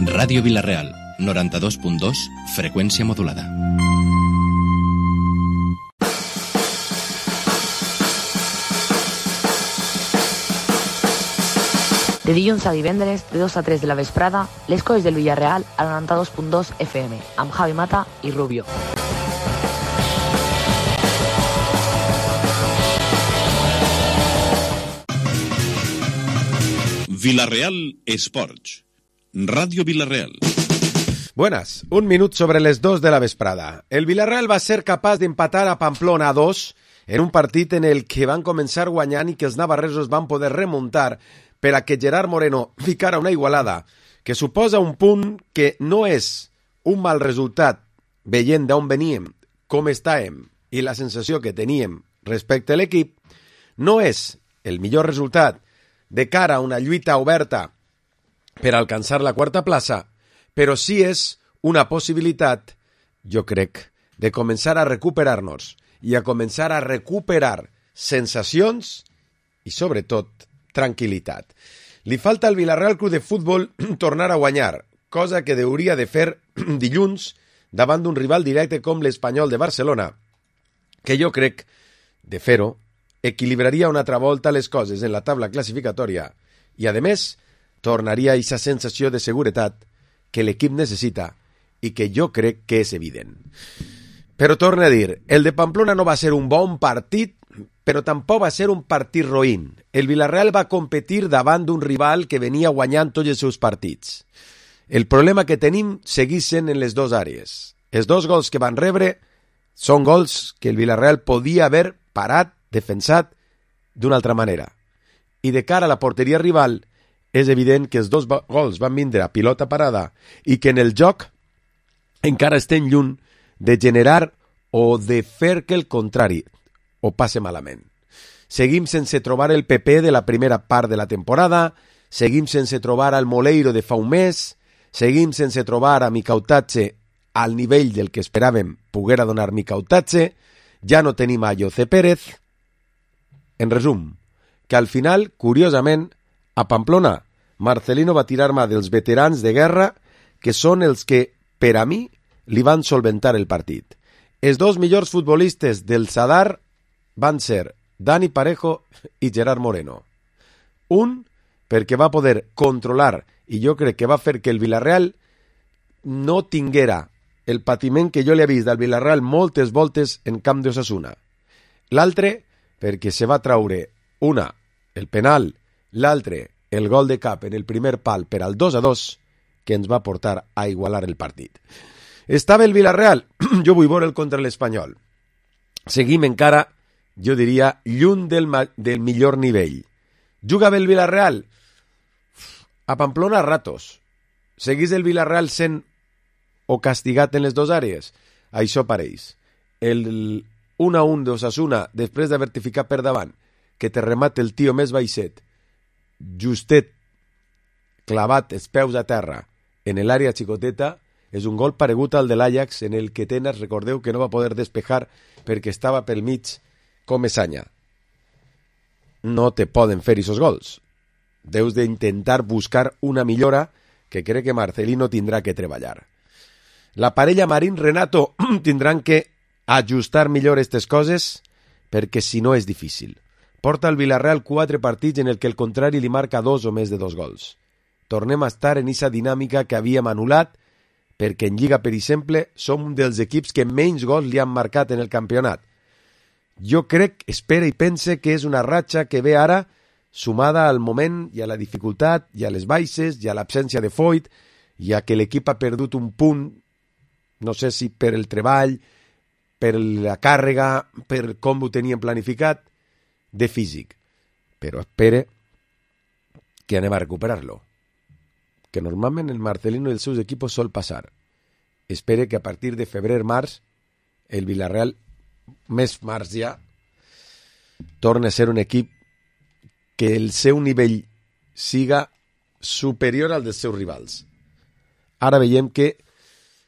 Ràdio Vila-real, 92.2, freqüència modulada. De dilluns a divendres, de 2 a 3 de la vesprada, les coses del Villarreal al 92.2 FM, amb Javi Mata i Rubio. Vila-real Esports. Radio Vila-real. Buenas, un minut sobre les 2 de la vesprada. El Villarreal va ser capaç d'empatar a Pamplona a 2 en un partit en el que van començar guanyant i que els navarresos van poder remuntar per a que Gerard Moreno ficara una igualada que suposa un punt que no és un mal resultat veient d'on veníem, com estàvem i la sensació que teníem respecte a l'equip, no és el millor resultat de cara a una lluita oberta per alcançar la quarta plaça, però sí és una possibilitat, jo crec, de començar a recuperar-nos i a començar a recuperar sensacions i, sobretot, tranquil·litat. Li falta al Villarreal Club de Futbol tornar a guanyar, cosa que hauria de fer dilluns davant d'un rival directe com l'Espanyol de Barcelona, que jo crec, de fer-ho, equilibraria una altra volta les coses en la taula classificatòria i, a més, tornaria a aquesta sensació de seguretat que l'equip necessita i que jo crec que és evident. Però torno a dir, el de Pamplona no va ser un bon partit, però tampoc va ser un partit roïn. El Villarreal va competir davant d'un rival que venia guanyant tots els seus partits. El problema que tenim segueix sent en les dues àrees. Els dos gols que van rebre són gols que el Villarreal podia haver parat, defensat d'una altra manera. I de cara a la porteria rival, és evident que els dos gols van vindre a pilota parada i que en el joc encara estem lluny de generar o de fer que el contrari o passe malament. Seguim sense trobar el PP de la primera part de la temporada, seguim sense trobar al Moleiro de fa un mes, seguim sense trobar a Micautatge al nivell del que esperàvem poguera donar Micautatge, ja no tenim a José Pérez. En resum, que al final, curiosament, a Pamplona, Marcelino va tirar mà dels veterans de guerra, que són els que, per a mi, li van solventar el partit. Els dos millors futbolistes del Sadar van ser Dani Parejo i Gerard Moreno. Un, perquè va poder controlar, i jo crec que va fer que el Villarreal no tinguera el patiment que jo li he vist del Villarreal moltes voltes en camp d'Osasuna. L'altre, perquè se va traure una, el penal, l'altre, el gol de cap en el primer pal per al 2-2, que ens va portar a igualar el partit. Estava el Villarreal, jo vull veure'l contra l'Espanyol. Seguim encara, jo diria, lluny del millor nivell. Jugava el Villarreal a Pamplona a ratos. Seguís el Villarreal sent o castigat en les dues àrees? Això pareix. El 1-1 d'Osasuna, després d'haver-te ficat per davant, que te remate el tio més baixet, justet, clavat els peus a terra en l'àrea xicoteta, és un gol paregut al de l'Ajax en el que Tenas, recordeu que no va poder despejar perquè estava pel mig com Esanya. No te poden fer aquests gols. Deus d'intentar buscar una millora que crec que Marcelino tindrà que treballar. La parella Marín-Renato tindran que ajustar millor aquestes coses perquè si no és difícil. Porta el Villarreal 4 partits en el que el contrari li marca 2 o més de 2 gols. Tornem a estar en aquesta dinàmica que havíem anul·lat perquè en Lliga, per exemple, som un dels equips que menys gols li han marcat en el campionat. Jo crec, espera i pense que és una ratxa que ve ara sumada al moment i a la dificultat i a les baixes i a l'absència de Foyt i a que l'equip ha perdut un punt, no sé si per el treball, per la càrrega, per com ho tenien planificat, de físic. Però espere que anem a recuperar-lo. Que normalment el Marcelino i els seus equipos sol passar. Espere que a partir de febrer-març el Villarreal, més març ja, torna a ser un equip que el seu nivell siga superior al dels seus rivals. Ara veiem que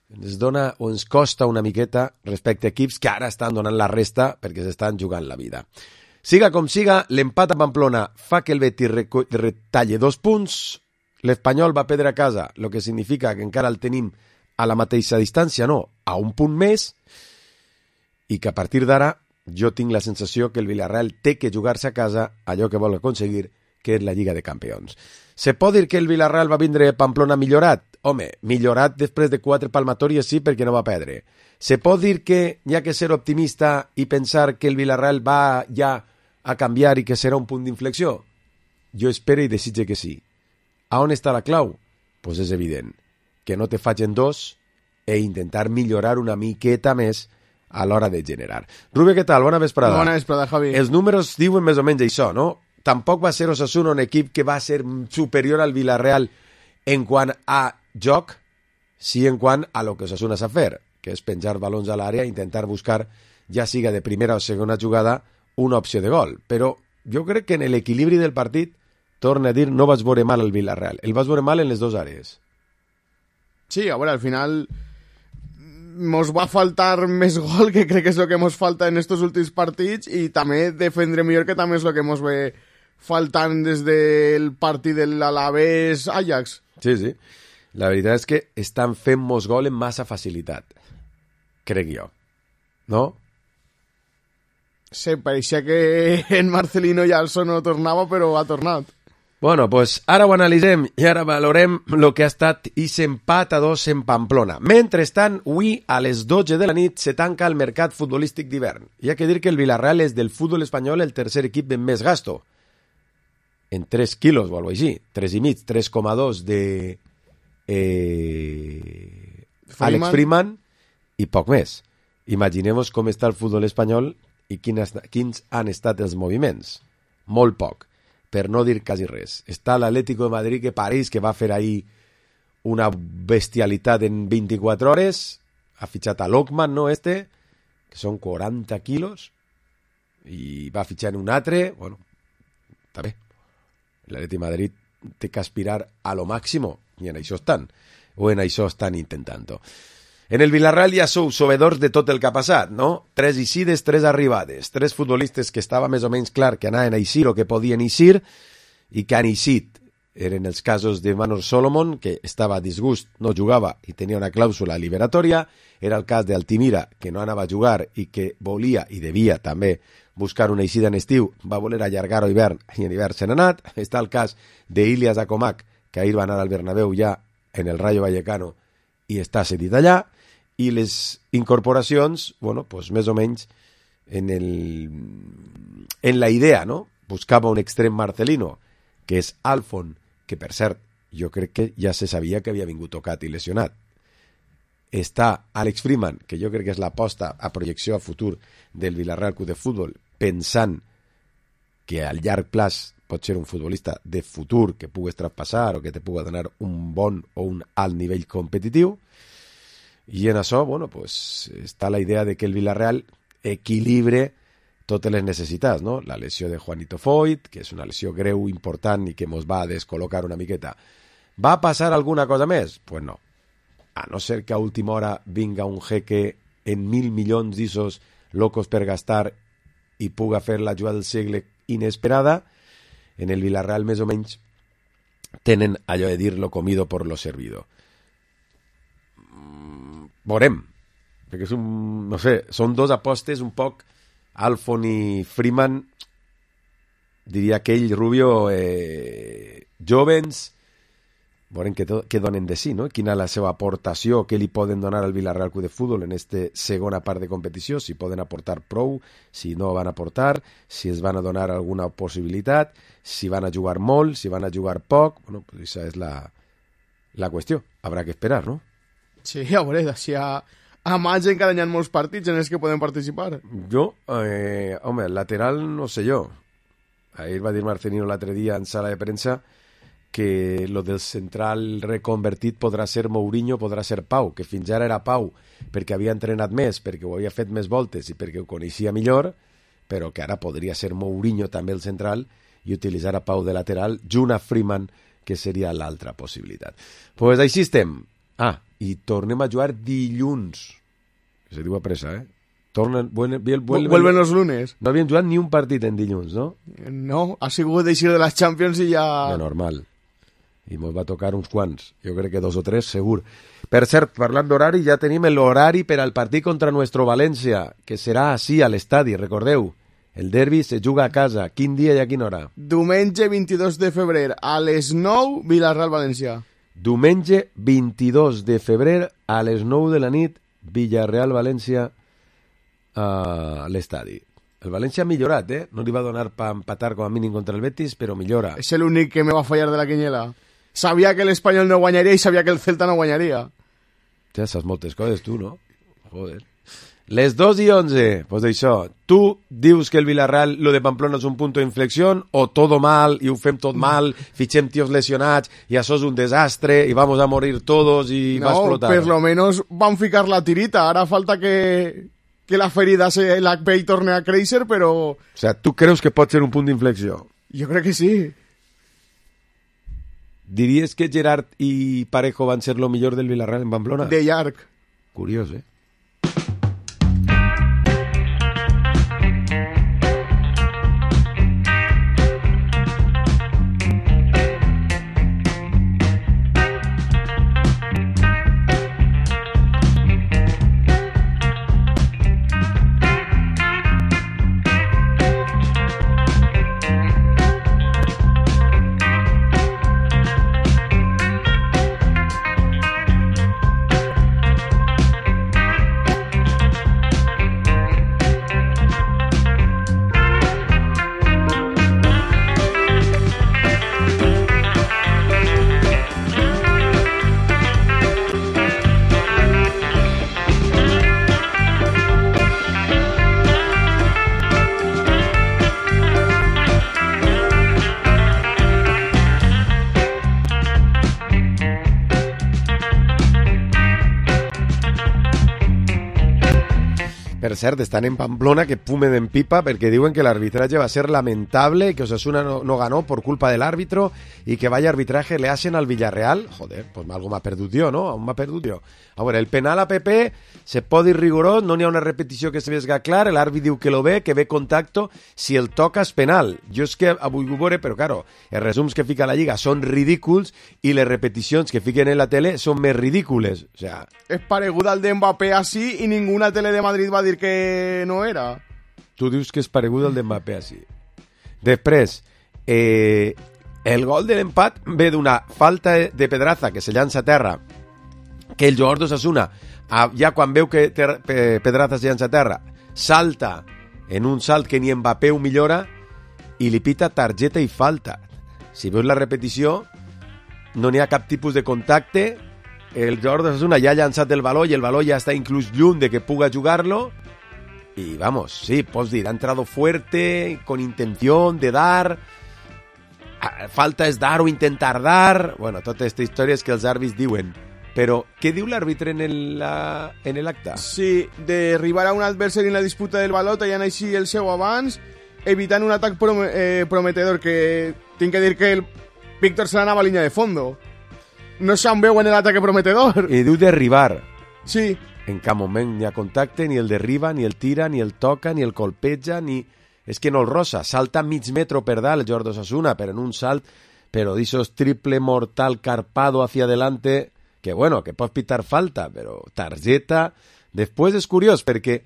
ens dona o ens costa una miqueta respecte a equips que ara estan donant la resta perquè s'estan jugant la vida. Siga com siga, l'empat a Pamplona fa que el Betis retalle 2 punts l'Espanyol va perdre a casa, el que significa que encara el tenim a la mateixa distància, no, a un punt més, i que a partir d'ara jo tinc la sensació que el Villarreal té que jugar-se a casa allò que vol aconseguir, que és la Lliga de Campions. Se pot dir que el Villarreal va vindre a Pamplona millorat? Home, millorat després de 4 palmatòries sí, perquè no va perdre. Se pot dir que hi ha que ser optimista i pensar que el Villarreal va ja a canviar i que serà un punt d'inflexió? Jo espero i desitge que sí. A on està la clau? Pues és evident, que no te facin dos e intentar millorar una miqueta més a l'hora de generar. Rubio, què tal? Bona vesprada. Bona vesprada, Javi. Els números diuen més o menys això, no? Tampoc va ser Osasuna un equip que va ser superior al Villarreal en quant a joc, sí en quant a lo que Osasuna sap fer, que és penjar balons a l'àrea i intentar buscar, ja siga de primera o segona jugada, una opció de gol. Però jo crec que en l'equilibri del partit, torna a dir, no vaig veure mal el Villarreal. El vaig veure mal en les dues àrees. Sí, a veure, al final mos va faltar més gol, que crec que és el que mos falta en estos últims partits, i també defendre millor, que també és el que mos ve faltant des del partit de l'Alavés Ajax. Sí, sí. La veritat és que estan fent mos gol amb massa facilitat, crec jo. No? Sí, pareixia que en Marcelino ja no tornava, però ha tornat. Bueno, pues ara ho analitzem i ara valorem el que ha estat aquest empat a 2 en Pamplona. Mentrestant, avui a les 12 de la nit se tanca el mercat futbolístic d'hivern. Hi ha que dir que el Villarreal és del futbol espanyol el tercer equip amb més gasto. En 3 quilos o alguna cosa així. 3,5, 3,2 de Alex Freeman i poc més. Imaginem-vos com està el futbol espanyol i quins han estat els moviments. Molt poc, per no dir quasi res. Està l'Atlético de Madrid que pareix que va fer ahir una bestialitat en 24 hores, ha fitxat a Lockman, no que són 40 quilos, i va fitxar un altre, bueno, està bé. L'Atlético de Madrid té que aspirar a lo máximo, i en això estan intentant-ho. En el Villarreal ja sou sabedors de tot el que ha passat, no? 3 eixides, 3 arribades, 3 futbolistes que estava més o menys clar que anaven a eixir o que podien eixir i que han eixit. Eren els casos de Manor Solomon, que estava a disgust, no jugava i tenia una clàusula liberatòria. Era el cas d'Altimira, que no anava a jugar i que volia i devia també buscar una eixida en estiu, va voler allargar a hivern i en hivern se n'ha anat. Està el cas d'Ilias Akomak, que ahir va anar al Bernabéu ja en el Rayo Vallecano i està cedit allà. I les incorporacions, bueno, pues més o menys en la idea, no? Buscava un extrem marcelino, que és Alfon, que per cert, jo crec que ja se sabia que havia vingut tocat i lesionat. Està Alex Freeman, que jo crec que és l'aposta a projecció a futur del Villarreal Club de Futbol, pensant que al llarg plaç pot ser un futbolista de futur que pugues traspassar o que te pugui donar un bon o un alt nivell competitiu. I en això, bueno, pues, està la idea de que el Villarreal equilibre totes les necessitats, no? La lesió de Juanito Foyt, que és una lesió greu, important i que ens va descol·locar una miqueta. Va passar alguna cosa més? Pues no. A no ser que a última hora vinga un jeque en 1.000 milions d'issos locos per gastar i puga fer la jugada del segle inesperada, en el Villarreal més o menys tenen allò de dir lo comido por lo servido. Veurem, perquè és no sé, són dos apostes un poc, Alfon i Freeman, diria que ell, Rubio, jovens, veurem què donen de sí, no? Quina és la seva aportació, què li poden donar al Villarreal Club de Futbol en aquesta segona part de competició, si poden aportar prou, si no van aportar, si es van a donar alguna possibilitat, si van a jugar molt, si van a jugar poc, bueno, pues esa és la qüestió, habrà que esperar, no? Sí, a veure, d'així a maig encara hi ha molts partits en els que poden participar. Jo, home, lateral no sé jo. Ahir va dir Marcelino l'altre dia en sala de premsa que lo del central reconvertit podrà ser Mourinho, podrà ser Pau, que fins ara era Pau perquè havia entrenat més, perquè ho havia fet més voltes i perquè ho coneixia millor, però que ara podria ser Mourinho també el central i utilitzar a Pau de lateral junt a Freeman, que seria l'altra possibilitat. Pues així estem. I tornem a jugar dilluns. Se diu a pressa, Vuelven los lunes. No havien jugat ni un partit en dilluns, no? No, ha sigut d'eixir de les Champions i ja... De normal. i mos va tocar uns quants, jo crec que 2 o 3 segur. Per cert, parlant d'horari, ja tenim l'horari per al partit contra nuestro València, que serà així a l'estadi, recordeu, el derbi se juga a casa, quin dia i a quina hora? Diumenge 22 de febrer a les 9, Villarreal-València. Diumenge 22 de febrer a les 9 de la nit, Villarreal-València a l'estadi. El València ha millorat, no li va donar per empatar com a mínim contra el Betis, però millora. És l'únic que me va fallar de la quiniela. Sabia que l'Espanyol no guanyaria i sabia que el Celta no guanyaria. Ja saps moltes coses, tu, no? Joder. Les 2:11, pues d'això. Tu dius que el Villarreal, lo de Pamplona és un punt d'inflexió, o todo mal, i ho fem tot mal, fitxem tios lesionats, i això és un desastre, i vamos a morir todos, i va explotar. No, per lo menos van ficar la tirita. Ara falta que la ferida se la ve i torne a créixer, però... O sea, tu creus que pot ser un punt d'inflexió? Jo crec que sí. Diries que Gerard i Parejo van ser lo millor del Villarreal en Pamplona? De llarg. Curiós, Per cert, estan en Pamplona que fumen en pipa porque diuen que el arbitraje va a ser lamentable, que Osasuna no ganó por culpa del árbitro y que vaya arbitraje le hacen al Villarreal. Joder, pues algo m'ha perdut jo, no? Aún m'ha perdut jo. A veure, el penal a PP se pot dir rigorós, no n'hi ha una repetició que se vesga clar, l'àrbit diu que lo ve, que ve contacto, si el toca és penal. Jo és que avui ho veure, però claro, els resums que fica la Lliga són ridículs i les repeticions que fiquen en la tele són més ridícules. O sea... És paregut al de Mbappé així i ninguna tele de Madrid va dir que no era. Tu dius que és paregut al de Mbappé així. Després, el gol de l'empat ve d'una falta de Pedraza que se llança a terra, que el jugador d'Osasuna, ja quan veu que Pedraza se llança a terra, salta en un salt que ni Mbappé ho millora i li pita targeta i falta. Si veus la repetició, no n'hi ha cap tipus de contacte, el jugador d'Osasuna ja ha llançat el baló i el baló ja està inclús lluny de que puga jugar-lo y vamos, sí, pots dir, ha entrado fuerte, con intención de dar, falta és dar o intentar dar, bueno, tota aquesta història és que els àrbits diuen. Però què diu l'àrbitre en l'acte? Sí, derribar a un adversari en la disputa del baló, tallant així el seu abans, evitant un atac prometedor, que tinc que dir que el Víctor se l'anava a línia de fondo. No se'n veu en l'ataque prometedor. I diu derribar. Sí. En cap moment ni ha contacte, ni el derriba, ni el tira, ni el toca, ni el colpeja, ni... És que no el rosa, salta mig metro per dalt el Jordi Osasuna, però en un salt, però d'ixos triple mortal carpado hacia adelante... que bueno, que pots pitar falta, però targeta... Després és curiós, perquè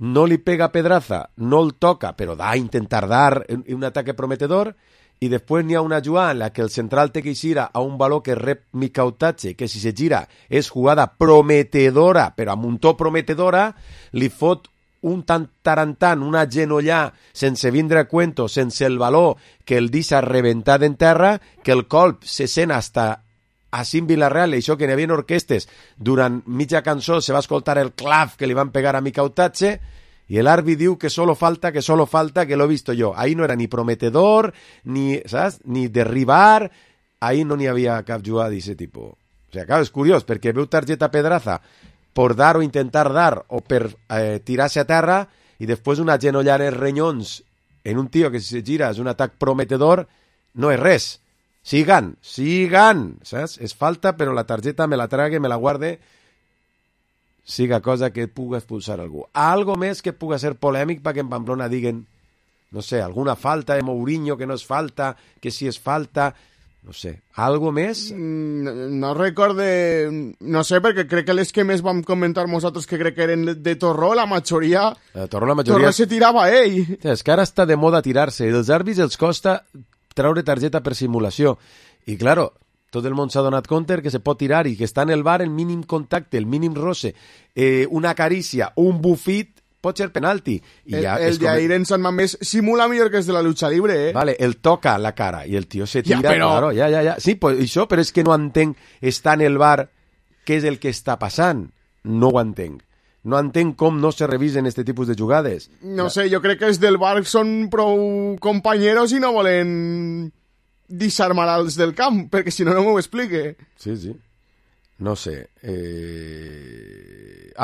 no li pega a Pedraza, no el toca, però da a intentar dar un ataque prometedor, i després n'hi ha una jugada en la que el central té que eixir a un baló que rep Mikautache, que si se gira és jugada prometedora, però amb un to prometedora, li fot un tarantant, una genollà, sense vindre a cuento, sense el baló, que el deixa rebentat en terra, que el colp se sent hasta... Així en Villarreal, això que n'hi havia orquestes, durant mitja cançó se va escoltar el clav que li van pegar a Mikautache i l'àrbit diu que solo falta, que lo he visto yo. Ahí no era ni prometedor, ni, ¿sabes? Ni derribar, ahí no n'hi havia cap jugada d'aquest tipus. O sigui, clar, és curiós, perquè veu targeta Pedraza per dar o intentar dar o per tirar-se a terra i després una genollada en renyons en un tio que si se gira és un atac prometedor, no és res. Sigan, saps? És falta, però la targeta me la trague, me la guarde, siga cosa que puga expulsar algú. Algo més que puga ser polèmic perquè en Pamplona diguen, no sé, alguna falta de Mourinho que no és falta, que si és falta, No sé, algo més? No recorde... No sé, perquè crec que les que més vam comentar nosaltres que crec que eren de Torró, la majoria... Torró se tirava a ell. És que ara està de moda tirar-se, i els àrbits els costa treure targeta per simulació. I, claro, tot el món s'ha donat compte que se pot tirar i que està en el bar el mínim contacte, el mínim roce, una carícia, un bufit, pot ser penalti. I el Jair en Sant Mamés simula millor que els de la lucha libre, eh? Vale, el toca la cara i el tio se tira. Claro, ja. Sí, pues això, però és que no entenc, està en el bar, què és el que està passant? No ho entenc. No entenc com no se revisen este tipus de jugades. No sé, jo crec que els del bar són prou companyeros i no volen disarmar els del camp, perquè si no, no m'ho explique. Sí. No sé.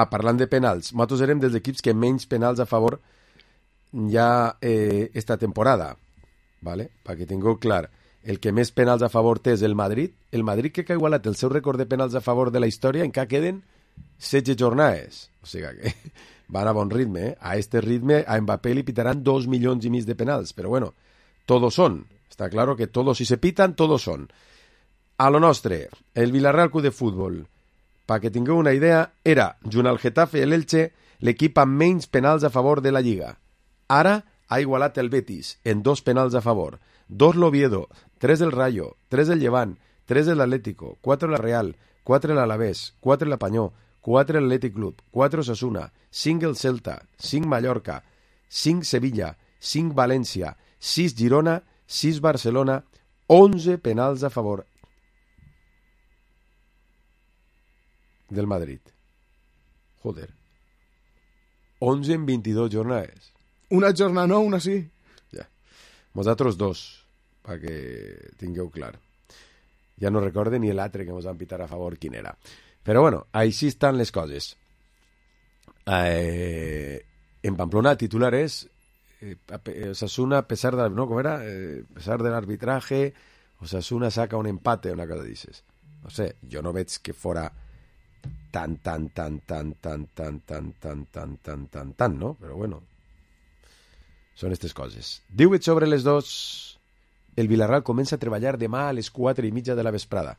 Parlant de penals, nosaltres érem dels equips que menys penals a favor hi ha esta temporada, ¿vale? Perquè tingueu clar, el que més penals a favor té és el Madrid que ha igualat el seu rècord de penals a favor de la història, encara queden 16 jornades, o sigui que van a bon ritme, A este ritme a Mbappé li pitaran 2,5 milions de penals, però bueno, todos son, está claro que todos, si se pitan, todos son. A lo nostre, el Villarreal Club de Futbol, perquè tingueu una idea, era, junt al Getafe i l'Elche, l'equip amb menys penals a favor de la Lliga. Ara ha igualat el Betis en 2 penals a favor, 2 l'Oviedo, 3 el Rayo, 3 el Llevant, 3 el Atlético, 4 la Real, 4 l'Alavés, 4 la Panyó, 4 l'Atlètic Club, 4 Osasuna, 5 el Celta, 5 Mallorca, 5 Sevilla, 5 València, 6 Girona, 6 Barcelona, 11 penals a favor del Madrid. Joder. 11 en 22 jornades. Una jornada no, una sí. Ja. Vosaltres 2, perquè tingueu clar. Ja no recorde ni l'altre que ens van pitar a favor quin era. Però bueno, així estan les coses. En Pamplona el titular és Osasuna, a pesar de, ¿no? ¿Cómo era? A pesar del arbitraje, Osasuna saca un empate, una cosa dices. No sé, jo no veig que fora tan, no? Però bueno, són aquestes coses. 18 sobre les 2, el Villarreal comença a treballar demà a les 4:30 de la vesprada,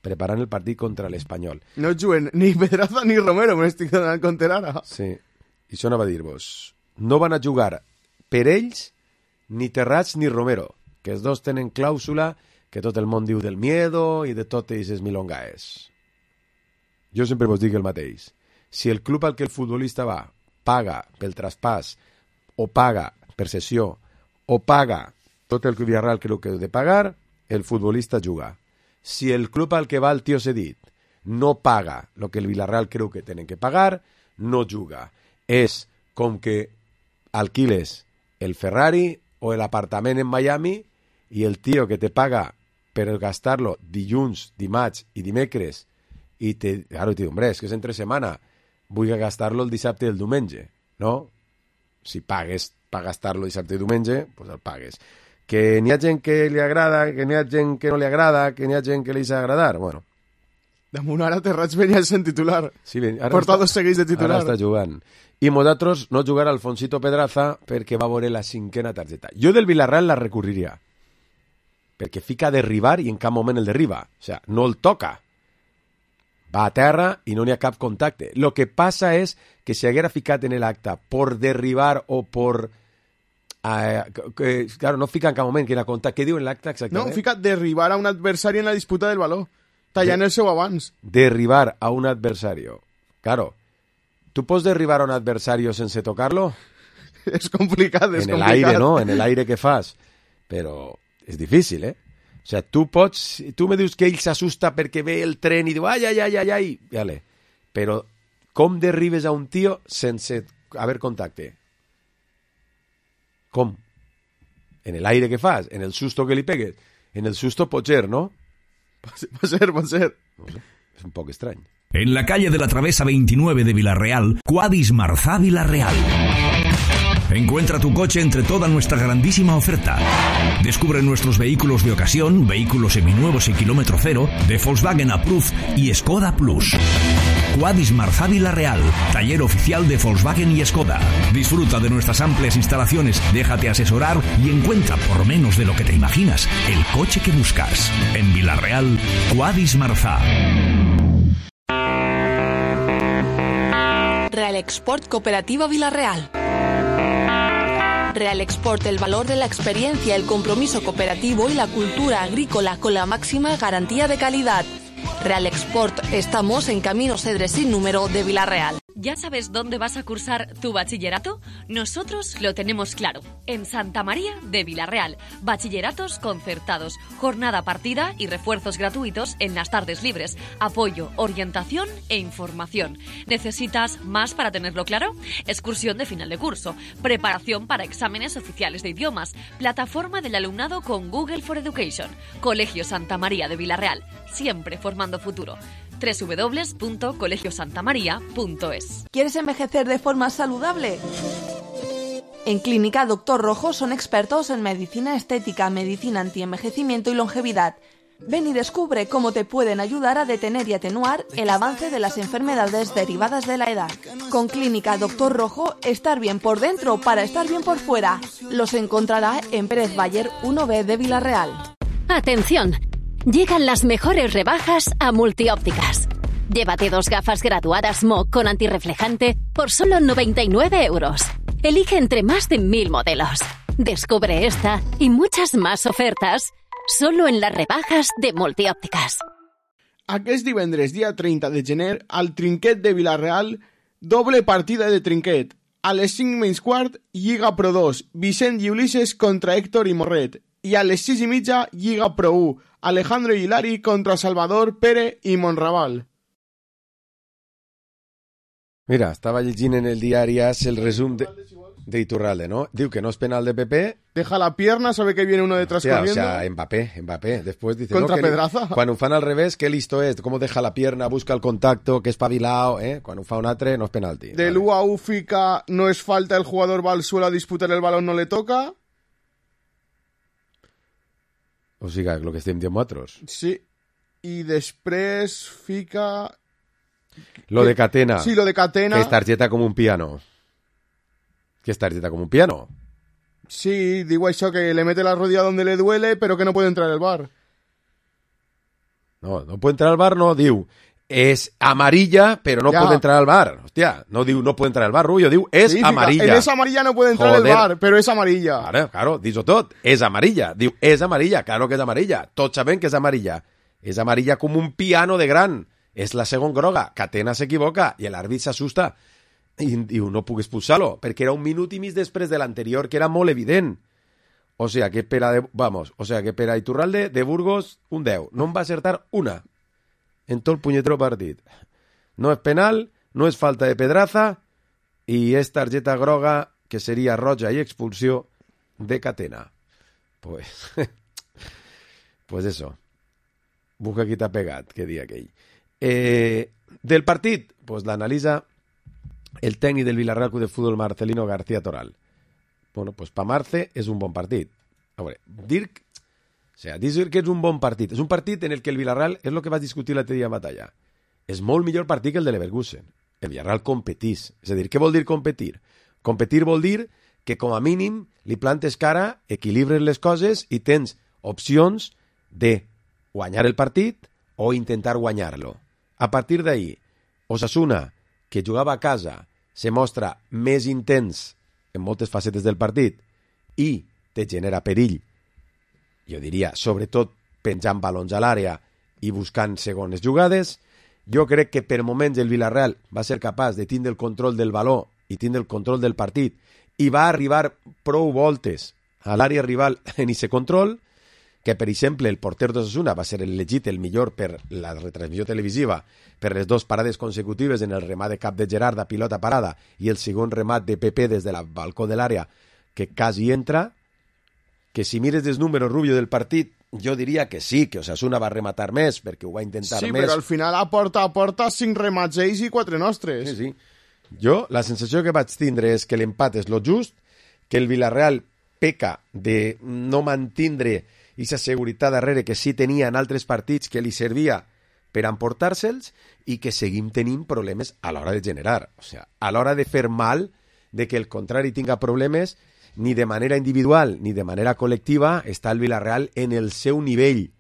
preparant el partit contra l'Espanyol. No juguen ni Pedraza ni Romero, me n'estic donant compte ara. Sí, i això anava a dir-vos. No van a jugar per ells ni Terrats ni Romero, que els dos tenen clàusula que tot el món diu del miedo i de totes aquestes milongaes. Jo sempre vos dic el mateix. Si el club al que el futbolista va paga pel traspàs, o paga per sessió, o paga tot el que el Villarreal creu que heu de pagar, el futbolista juga. Si el club al que va el tio cedit no paga el que el Villarreal creu que tenen que pagar, no juga. És com que alquiles el Ferrari o el apartament en Miami i el tio que te paga per gastar-lo dilluns, dimarts i dimecres i claro, te diu, hombre, és que és entre setmana, vull gastar-lo el dissabte i el diumenge, no? Si pagues per gastar-lo dissabte i diumenge, pues el pagues. Que n'hi ha gent que li agrada, que n'hi ha gent que no li agrada, que n'hi ha gent que li s'ha agradar, bueno. Damunt ara Terrats venia sent titular. Sí, ara porta 2 seguits de titular. Ara està jugant. I nosaltres no jugar Alfonsito Pedraza perquè va veure la 5ª targeta. Jo del Villarreal la recurriria, perquè fica a derribar i en cap moment el derriba. O sea, no el toca. Va a terra i no n'hi ha cap contacte. Lo que passa és que si haguera ficat en l'acte por derribar o por... claro, no fica en cap moment que era contacte. Què diu en l'acte exactament? No, fica derribar a un adversari en la disputa del baló. Tallant el seu abans. Derribar a un adversario. Claro. ¿Tú pots derribar a un adversario sense tocarlo? És complicat, és complicat. En el aire, ¿no? En el aire que fas. Però és difícil, ¿eh? O sea, tu me dius que ell s'assusta perquè ve el tren i diu ai, vale. Però com derribes a un tio sense haver contacte? Com? En el aire que fas, en el susto que li pegues. En el susto pot ser, ¿no? Pot ser. No sé, és un poc estrany. En la calle de la Travesa 29 de Villarreal, Quadis Marzá Villarreal. Encuentra tu coche entre toda nuestra grandísima oferta. Descubre nuestros vehículos de ocasión, vehículos seminuevos y kilómetro cero, de Volkswagen Approved y Skoda Plus. Quadis Marzá Villarreal, taller oficial de Volkswagen y Skoda. Disfruta de nuestras amplias instalaciones, déjate asesorar y encuentra por menos de lo que te imaginas el coche que buscas. En Vila-real, Quadis Marzà. Real Export Cooperativa Vila-real. Real Export, el valor de la experiencia, el compromiso cooperativo y la cultura agrícola con la máxima garantía de calidad. Real Export, estamos en Camino Cedres sin número de Vila-real. ¿Ya sabes dónde vas a cursar tu bachillerato? Nosotros lo tenemos claro. En Santa María de Vila-real. Bachilleratos concertados, jornada partida y refuerzos gratuitos en las tardes libres. Apoyo, orientación e información. ¿Necesitas más para tenerlo claro? Excursión de final de curso, preparación para exámenes oficiales de idiomas, plataforma del alumnado con Google for Education. Colegio Santa María de Vila-real, siempre formando futuro. www.colegiosantamaria.es. ¿Quieres envejecer de forma saludable? En Clínica Dr. Rojo son expertos en medicina estética, medicina antienvejecimiento y longevidad. Ven y descubre cómo te pueden ayudar a detener y atenuar el avance de las enfermedades derivadas de la edad. Con Clínica Dr. Rojo, estar bien por dentro para estar bien por fuera. Los encontrará en Pérez Bayer 1B de Vila-real. ¡Atención! Llegan las mejores rebajas a Multiópticas. Llévate 2 gafas graduadas MOC con antirreflejante por solo 99 euros. Elige entre más de 1000 modelos. Descubre esta y muchas más ofertas solo en las rebajas de Multiópticas. Aquest divendres, dia 30 de gener, al Trinquet de Vila-real, doble partida de trinquet. A les 5:15, Lliga Pro 2, Vicent i Ulises contra Héctor i Morret. I a les 6:30, Lliga Pro 1, Alejandro i Hilari contra Salvador, Pere i Monraval. Mira, estava llegint en el diari AS el resum de Iturralde, ¿no? Diu que no es penal de PP. Deja la pierna, sabe que viene uno detrás corriendo. O sea, Mbappé. Después dice, contra no, Pedraza. Quan ho fan al revés, qué listo es, cómo deja la pierna, busca el contacto, que espabilado, Quan ho fa un altre, no es penalti. Del vale. U fica, no es falta, el jugador va al suelo a disputar el balón, no le toca. O sigui, lo que estem dient nosaltres. Sí. I després fica... Lo de Catena. Sí, lo de Catena. Que es targeta com un piano. Sí, digo eso, que le mete la rodilla donde le duele, pero que no puede entrar al bar. No puede entrar al bar, no, diu. Es amarilla, pero no puede entrar al bar. Hostia, no diu no puede entrar al bar, Rubio, diu es sí, amarilla. En esa amarilla no puede entrar al bar, pero es amarilla. Claro, dis-ho tot. És amarilla. Diu, és amarilla, claro que és amarilla. Tots sabem que és amarilla. És amarilla com un piano de gran. És la segona groga. Catena s'equivoca i l'àrbit s'assusta. I diu, no puc expulsar-lo, perquè era 1 minut i mig després de l'anterior, que era molt evident. O sea, que per a Iturralde de Burgos, un 10. No en va acertar una en tot el punyetero partit. No és penal, no és falta de Pedraza i és targeta groga, que seria roja i expulsió de Catena. Pues eso. Busca qui t'ha pegat, que dia aquell. Del partit, pues l'analitza el tècnic del Villarreal Club de Fútbol, Marcelino García Toral. Bueno, pues pa Marce és un bon partit. A veure, dir que és un bon partit. És un partit en el que el Villarreal, és el que vas discutir l'altre dia en batalla, és molt millor partit que el de Leverkusen. El Villarreal competís. És a dir, què vol dir competir? Competir vol dir que com a mínim li plantes cara, equilibres les coses i tens opcions de guanyar el partit o intentar guanyar-lo. A partir d'ahí, Osasuna, que jugava a casa, se mostra més intens en moltes facetes del partit i te genera perill, jo diria, sobretot penjant balons a l'àrea i buscant segones jugades. Jo crec que per moments el Villarreal va ser capaç de tindre el control del baló i tindre el control del partit i va arribar prou voltes a l'àrea rival en ese control, que, per exemple, el porter d'Osasuna va ser elegit el millor per la retransmissió televisiva per les 2 parades consecutives en el remat de cap de Gerard a pilota parada i el segon remat de Pepe des del balcó de l'àrea, que quasi entra, que si mires els números, Rubio, del partit, jo diria que sí, que Osasuna va rematar més, perquè ho va intentar més. Sí, però al final a porta 5 remats ells i 4 nostres. Sí. Jo, la sensació que vaig tindre és que l'empat és lo just, que el Villarreal peca de no mantindre aquesta seguretat darrere que sí tenia en altres partits que li servia per emportar-se'ls i que seguim tenint problemes a l'hora de generar. O sigui, a l'hora de fer mal de que el contrari tinga problemes, ni de manera individual ni de manera col·lectiva, està el Villarreal en el seu nivell.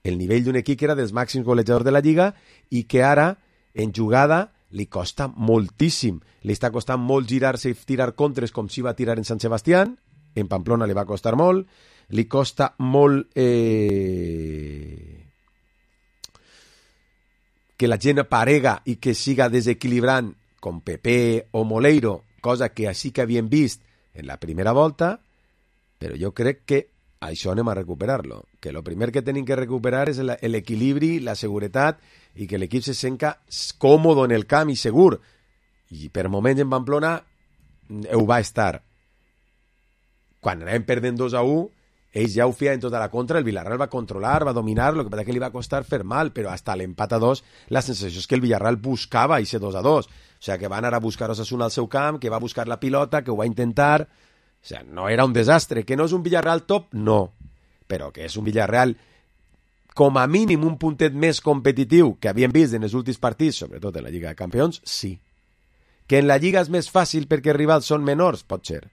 El nivell d'un equip que era dels màxims golejadors de la Lliga i que ara, en jugada, li costa moltíssim. Li està costant molt girar-se i tirar contres com si va tirar en Sant Sebastián. En Pamplona li va costar molt. Li costa molt que la gent aparega i que siga desequilibrant com Pepe o Moleiro, cosa que així que havíem vist en la primera volta, però jo crec que això anem a recuperar-lo. Que el primer que tenim que recuperar és l'equilibri, la seguretat i que l'equip se senta còmode en el camp i segur. I per moments en Pamplona ho va estar. Quan anàvem perdent 2-1, ells ja ho feien tota la contra, el Villarreal va controlar, va dominar, el que passa que li va costar fer mal, però hasta l'empat a 2 la sensació és que el Villarreal buscava ese 2-2. O sea, que van anar a buscar Osasuna al seu camp, que va buscar la pilota, que ho va intentar. O sea, no era un desastre. Que no és un Villarreal top, no. Però que és un Villarreal com a mínim un puntet més competitiu que havíem vist en els últims partits, sobretot en la Lliga de Campions, sí. Que en la Lliga és més fàcil perquè els rivals són menors, pot ser.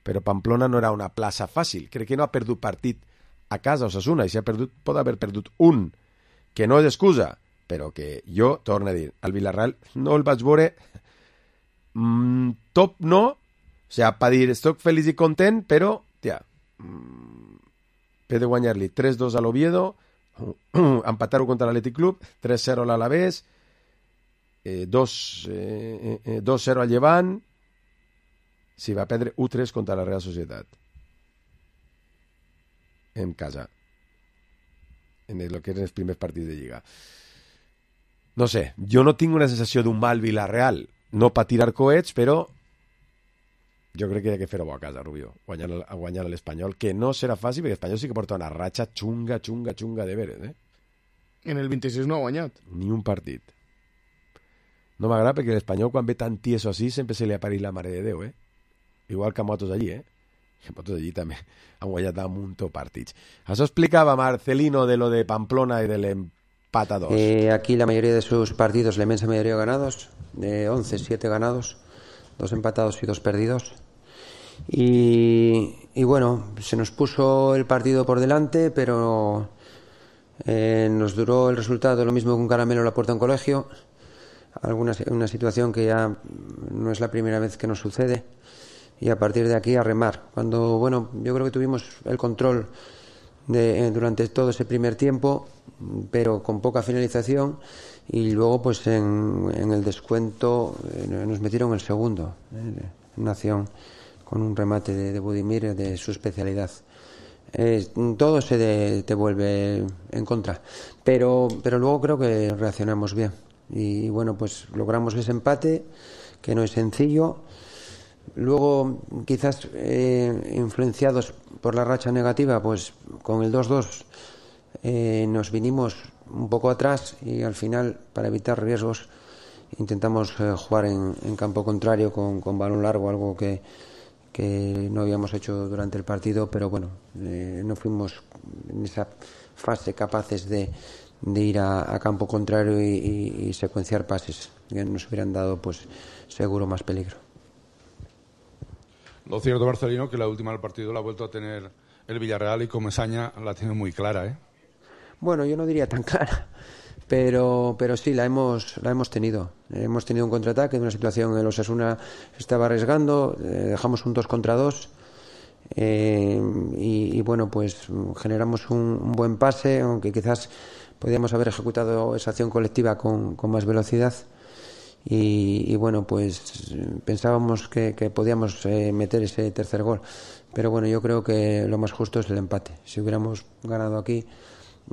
Però Pamplona no era una plaça fàcil. Crec que no ha perdut partit a casa Osasuna, i si ha perdut, pot haver perdut un, que no és excusa, però que jo, torno a dir, al Villarreal no el vaig veure top no, o sigui, per dir, estic feliç i content, però, tia, he de guanyar-li 3-2 a l'Oviedo, empatar-ho contra l'Atlètic Club, 3-0 a l'Alavés, 2-0 al Llevant, si va perdre 1-3 contra la Real Societat en casa en el que eren els primers partits de Lliga. No sé, jo no tinc una sensació d'un mal Villarreal, no per tirar coets, però jo crec que hi ha que fer-ho a casa, Rubio, guanyar l'Espanyol, que no serà fàcil, perquè l'Espanyol sí que porta una ratxa xunga de veres, eh? En el 26 no ha guanyat. Ni un partit. No m'agrada perquè l'Espanyol, quan ve tan tieso així, sempre se li apareix la mare de Déu, eh? Igual que a Motos allí, eh? Que Motos allí també han guanyat un munt de partits. Això explicava Marcelino de lo de Pamplona y del empate a 2. Aquí la mayoría de sus partidos, la inmensa mayoría ganados, de 11, 7 ganados, 2 empatados y 2 perdidos. Y bueno, se nos puso el partido por delante, pero nos duró el resultado lo mismo que un caramelo a la puerta de un colegio. Una situación que ya no es la primera vez que nos sucede. Y a partir de aquí a remar. Cuando, bueno, yo creo que tuvimos el control durante todo ese primer tiempo, pero con poca finalización, y luego pues en el descuento nos metieron el segundo, una acción con un remate de Budimir de su especialidad. Todo se te vuelve en contra, pero luego creo que reaccionamos bien y bueno, pues logramos ese empate que no es sencillo. Luego, quizás influenciados por la racha negativa, pues con el 2-2 nos vinimos un poco atrás y al final, para evitar riesgos, intentamos jugar en campo contrario con balón largo, algo que no habíamos hecho durante el partido, pero bueno, no fuimos en esa fase capaces de ir a campo contrario y secuenciar pases que nos hubieran dado, pues seguro, más peligro. Lo cierto, Marcelino, que la última del partido la ha vuelto a tener el Villarreal y Comesaña la tiene muy clara, ¿eh? Bueno, yo no diría tan clara, pero sí, la hemos tenido. Hemos tenido un contraataque de una situación en el Osasuna estaba arriesgando, dejamos un 2 contra 2 y bueno, pues generamos un buen pase, aunque quizás podíamos haber ejecutado esa acción colectiva con más velocidad. Y bueno, pues pensábamos que podíamos meter ese tercer gol, pero bueno, yo creo que lo más justo es el empate. Si hubiéramos ganado aquí,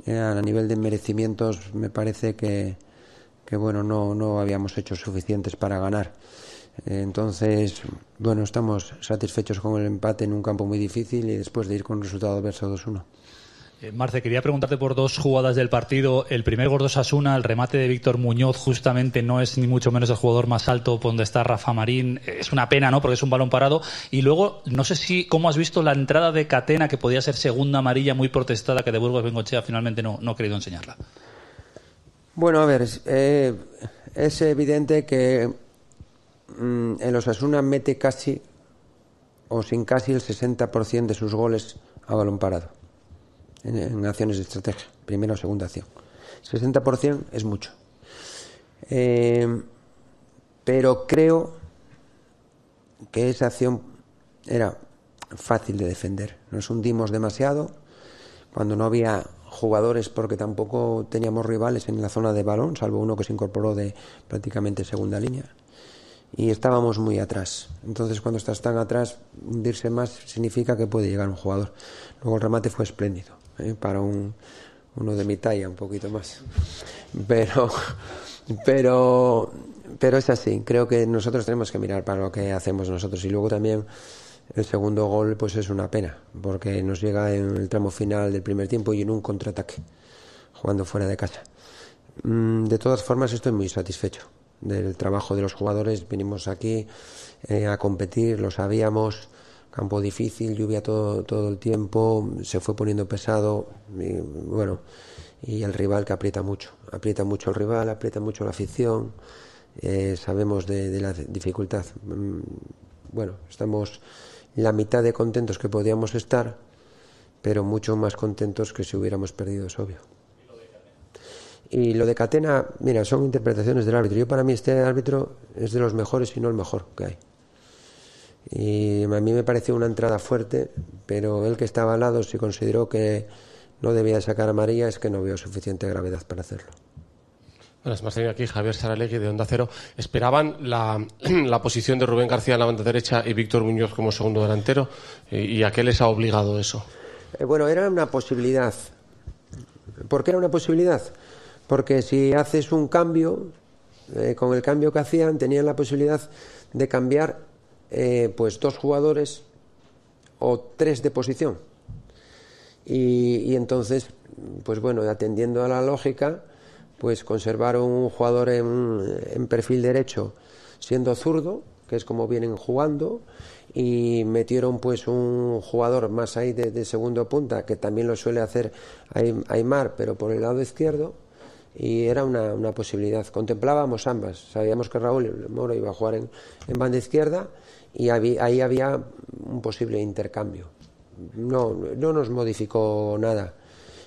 a nivel de merecimientos me parece que bueno, no habíamos hecho suficientes para ganar. Entonces, bueno, estamos satisfechos con el empate en un campo muy difícil y después de ir con un resultado adverso 2-1. Marce, quería preguntarte por 2 jugadas del partido. El primer gol de Osasuna, el remate de Víctor Muñoz, justamente no es ni mucho menos el jugador más alto por donde está Rafa Marín. Es una pena, ¿no? Porque es un balón parado. Y luego, no sé cómo has visto la entrada de Catena, que podía ser segunda amarilla muy protestada, que de Burgos Bengoechea finalmente no ha querido enseñarla. Bueno, a ver, es evidente que el Osasuna mete casi o sin casi el 60% de sus goles a balón parado en acciones de estrategia, primera o segunda acción. 60% es mucho. Pero creo que esa acción era fácil de defender. Nos hundimos demasiado cuando no había jugadores, porque tampoco teníamos rivales en la zona de balón, salvo uno que se incorporó de prácticamente segunda línea, y estábamos muy atrás. Entonces, cuando estás tan atrás, hundirse más significa que puede llegar un jugador. Luego el remate fue espléndido, para uno de mi talla, un poquito más, pero es así. Creo que nosotros tenemos que mirar para lo que hacemos nosotros. Y luego también el segundo gol pues es una pena, porque nos llega en el tramo final del primer tiempo y en un contraataque, jugando fuera de casa. De todas formas, estoy muy satisfecho del trabajo de los jugadores. Vinimos aquí a competir, lo sabíamos, campo difícil, lluvia todo el tiempo, se fue poniendo pesado, y el rival que aprieta mucho el rival, aprieta mucho la afición, sabemos de la dificultad. Estamos la mitad de contentos que podíamos estar, pero mucho más contentos que si hubiéramos perdido, es obvio. Y lo de Catena, mira, son interpretaciones del árbitro. Yo, para mí, este árbitro es de los mejores, y no el mejor que hay. Y a mí me pareció una entrada fuerte, pero él, que estaba al lado, si consideró que no debía sacar amarilla, es que no vio suficiente gravedad para hacerlo. Bueno, es más, tengo aquí Javier Saralegui, de Onda Cero. ¿Esperaban la posición de Rubén García en la banda derecha y Víctor Muñoz como segundo delantero? ¿Y a qué les ha obligado eso? Era una posibilidad. ¿Por qué era una posibilidad? Porque si haces un cambio, con el cambio que hacían, tenían la posibilidad de cambiar pues 2 jugadores o 3 de posición. Y entonces, pues bueno, atendiendo a la lógica, pues conservaron un jugador en perfil derecho siendo zurdo, que es como vienen jugando, y metieron pues un jugador más ahí de segundo punta, que también lo suele hacer Aimar, pero por el lado izquierdo. Y era una posibilidad. Contemplábamos ambas. Sabíamos que Raúl Moro iba a jugar en banda izquierda, y ahí había un posible intercambio. No nos modificó nada.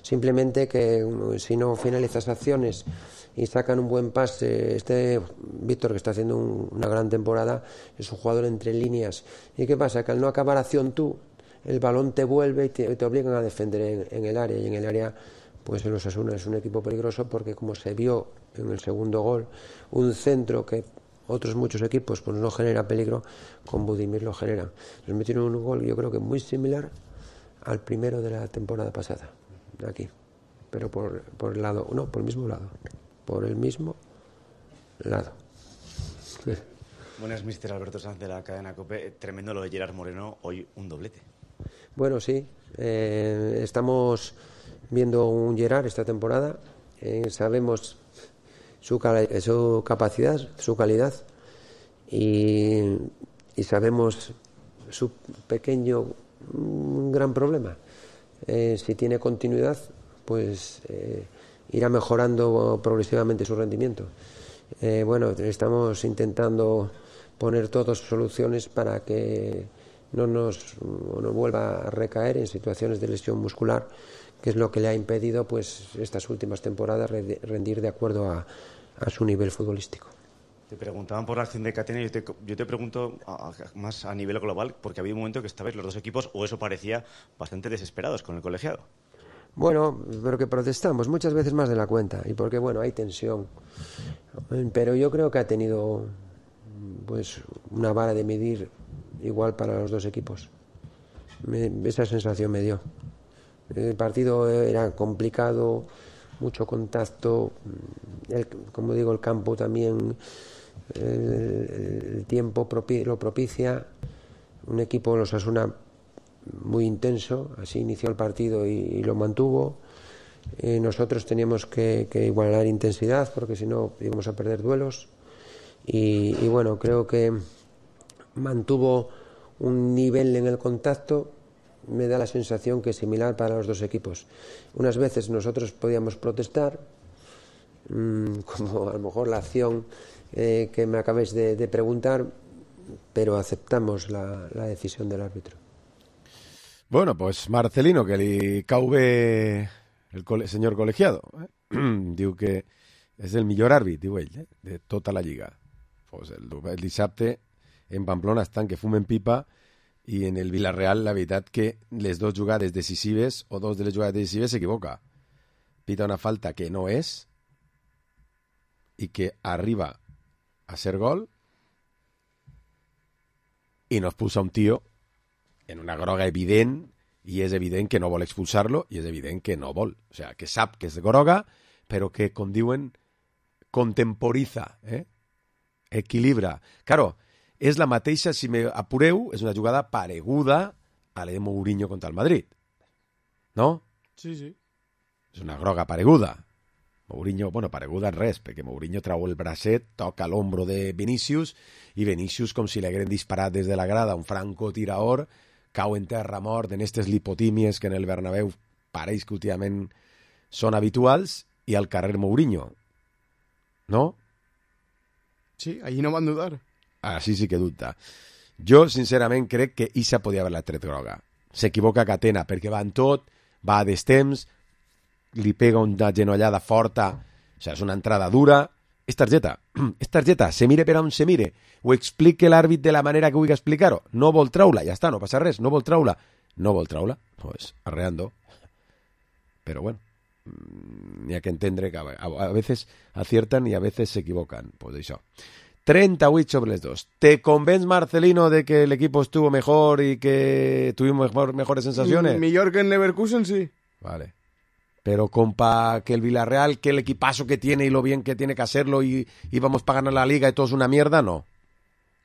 Simplemente que si no finalizas acciones y sacan un buen pase, Víctor, que está haciendo una gran temporada, es un jugador entre líneas. ¿Y qué pasa? Que al no acabar acción tú, el balón te vuelve y te obligan a defender en el área. Y en el área, pues el Osasuna es un equipo peligroso, porque, como se vio en el segundo gol, un centro que otros muchos equipos pues no genera peligro, con Budimir lo generan. Nos metieron un gol, yo creo que muy similar al primero de la temporada pasada, aquí, pero por el lado, no, por el mismo lado, Sí. Buenas, mister Alberto Sanz, de la cadena COPE. Tremendo lo de Gerard Moreno, hoy un doblete. Bueno, sí, estamos viendo un Gerard esta temporada, sabemos su capacidad, su calidad, y sabemos su gran problema. Si tiene continuidad, pues irá mejorando progresivamente su rendimiento. Estamos intentando poner todas soluciones para que no vuelva a recaer en situaciones de lesión muscular, que es lo que le ha impedido pues estas últimas temporadas rendir de acuerdo a su nivel futbolístico. Te preguntaban por la acción de Catena, y yo te pregunto más a nivel global, porque había un momento que estabais los dos equipos, o eso parecía, bastante desesperados con el colegiado. Bueno, pero que protestamos muchas veces más de la cuenta, y porque hay tensión, pero yo creo que ha tenido pues una vara de medir igual para los dos equipos. Esa sensación me dio. El partido era complicado, mucho contacto, como digo, el campo también, el tiempo lo propicia. Un equipo, los Osasuna, muy intenso, así inició el partido y lo mantuvo. Nosotros teníamos que igualar intensidad, porque si no íbamos a perder duelos, y creo que mantuvo un nivel en el contacto. Me da la sensación que es similar para los dos equipos. Unas veces nosotros podíamos protestar, como a lo mejor la acción que me acabáis de preguntar, pero aceptamos la decisión del árbitro. Bueno, pues Marcelino, que li cau bé el senyor col·legiado, diu que és el millor àrbit, diu ell, de tota la lliga. Pues el dissabte en Pamplona estan que fumen pipa i en el Villarreal la veritat que les dues jugades decisives o dos de les jugades decisives s'equivoca. Pita una falta que no és i que arriba a ser gol i nos pusa un tío en una groga evident i és evident que no vol expulsar-lo i és evident que no vol. O sea, que sap que és groga, però que, com diuen, contemporiza, equilibra. Claro, és la mateixa, si me apureu, és una jugada pareguda a la de Mourinho contra el Madrid. No? Sí, sí. És una groga pareguda. Mourinho, bueno, pareguda en res, perquè Mourinho trau el bracet, toca l'ombro de Vinícius, i Vinícius, com si li hagueren disparat des de la grada un francotirador, cau en terra mort en aquestes lipotímies que en el Bernabéu pareix que últimament són habituals, i al carrer Mourinho. ¿No? Sí, allí no van dudar. Així sí que dubta. Jo, sincerament, crec que Issa podia haver-la tret groga. S'equivoca Catena, perquè va en tot, va a destemps, li pega una genollada forta, o sigui, és una entrada dura. És targeta, se mire per on se mire, ho explique l'àrbit de la manera que vulgui explicar-ho. No vol traure-la, ja està, no passa res, no vol traure-la, pues arreando. Però bueno, n'hi ha que entendre que a veces aciertan y a veces se equivocan, pues això. 38 sobre les 2. ¿Te convence, Marcelino, de que el equipo estuvo mejor y que tuvimos mejores sensaciones? Mejor que en Leverkusen, sí. Vale. Pero compa, que el Villarreal, que el equipazo que tiene y lo bien que tiene que hacerlo y vamos para ganar la Liga y todo es una mierda, no.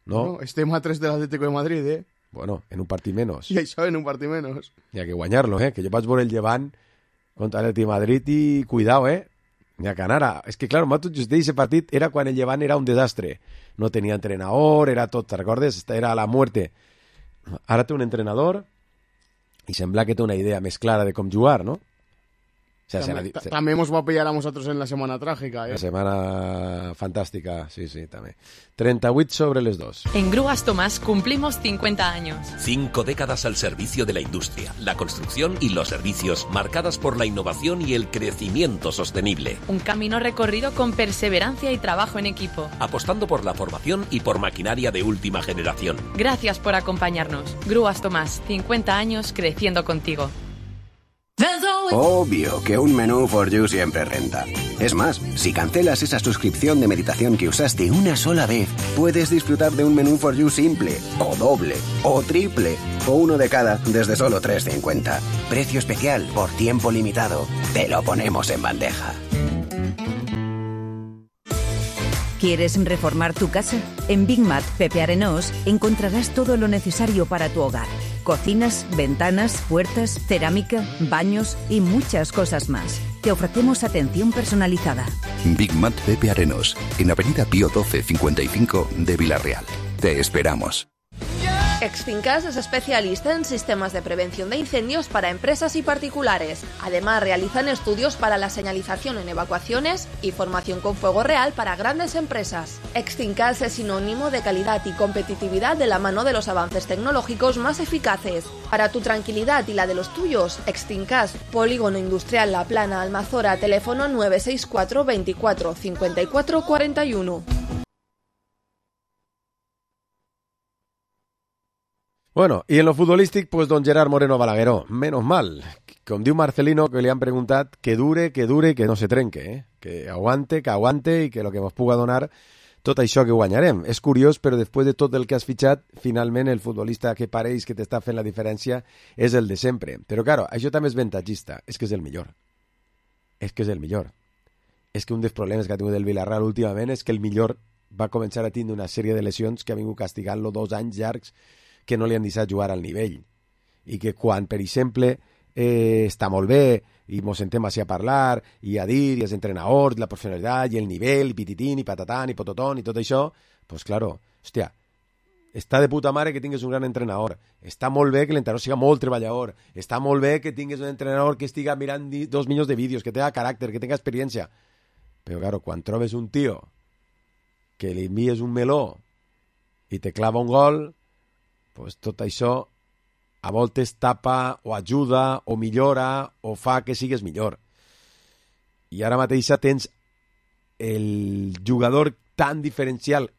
No, estem a 3 del Atlético de Madrid, ¿eh? Bueno, en un partit menos. I això, en un partit menos. Hi ha que guanyar-lo, que jo vaig veure el Llevant contra l'Atleti de Madrid i cuidao, n'hi ha que anar. És que, clar, just d'aquest partit era quan el Llevant era un desastre. No tenia entrenador, era tot, ¿te recordes? Era la muerte. Ara té un entrenador i sembla que té una idea més clara de com jugar, no? O sea, también nos va a pillar a nosotros en la semana trágica, La semana fantástica, sí, también. 38 sobre les 2. En Grúas Tomás cumplimos 50 años. 5 décadas al servicio de la industria, la construcción y los servicios, marcadas por la innovación y el crecimiento sostenible. Un camino recorrido con perseverancia y trabajo en equipo. Apostando por la formación y por maquinaria de última generación. Gracias por acompañarnos. Grúas Tomás, 50 años creciendo contigo. Obvio que un menú for you siempre renta. Es más, si cancelas esa suscripción de meditación que usaste una sola vez, puedes disfrutar de un menú for you simple, o doble, o triple, o uno de cada desde solo 3,50. Precio especial por tiempo limitado. Te lo ponemos en bandeja. ¿Quieres reformar tu casa? En Big Mat Pepe Arenós encontrarás todo lo necesario para tu hogar. Cocinas, ventanas, puertas, cerámica, baños y muchas cosas más. Te ofrecemos atención personalizada. Big Mat Pepe Arenós, en Avenida Pío 12 55 de Villarreal. Te esperamos. Extincas es especialista en sistemas de prevención de incendios para empresas y particulares. Además, realizan estudios para la señalización en evacuaciones y formación con fuego real para grandes empresas. Extincas es sinónimo de calidad y competitividad de la mano de los avances tecnológicos más eficaces. Para tu tranquilidad y la de los tuyos, Extincas, Polígono Industrial La Plana, Almazora, teléfono 964 24 54 41. Bueno, i en lo futbolístic, pues don Gerard Moreno Balagueró. Menos mal. Com diu Marcelino, que li han preguntat que dure, que no se trenque, que aguante i que lo que ens puga donar tot això que guanyarem. És curiós, però després de tot el que has fitxat, finalment el futbolista que pareix que t'està fent la diferència és el de sempre. Però, claro, això també és avantatgista. És que és el millor. És que un dels problemes que ha tingut el Villarreal últimament és que el millor va començar a tindre una sèrie de lesions que ha vingut castigant-lo 2 anys llargs que no li han deixat jugar al nivell. I que quan, per exemple, està molt bé i mos sentem així a parlar i a dir, i els entrenadors, la professionalitat i el nivell, i pititín, i patatán, i pototón, i tot això, pues claro, hòstia, està de puta mare que tingues un gran entrenador, està molt bé que l'entrenador siga molt treballador, està molt bé que tingues un entrenador que estiga mirant 2 milions de vídeos, que tenga caràcter, que tenga experiència, però claro, quan trobes un tio que li envies un meló i te clava un gol, pues tot això a voltes tapa o ajuda o millora o fa que sigues millor. I ara mateix tens el jugador tan diferencial,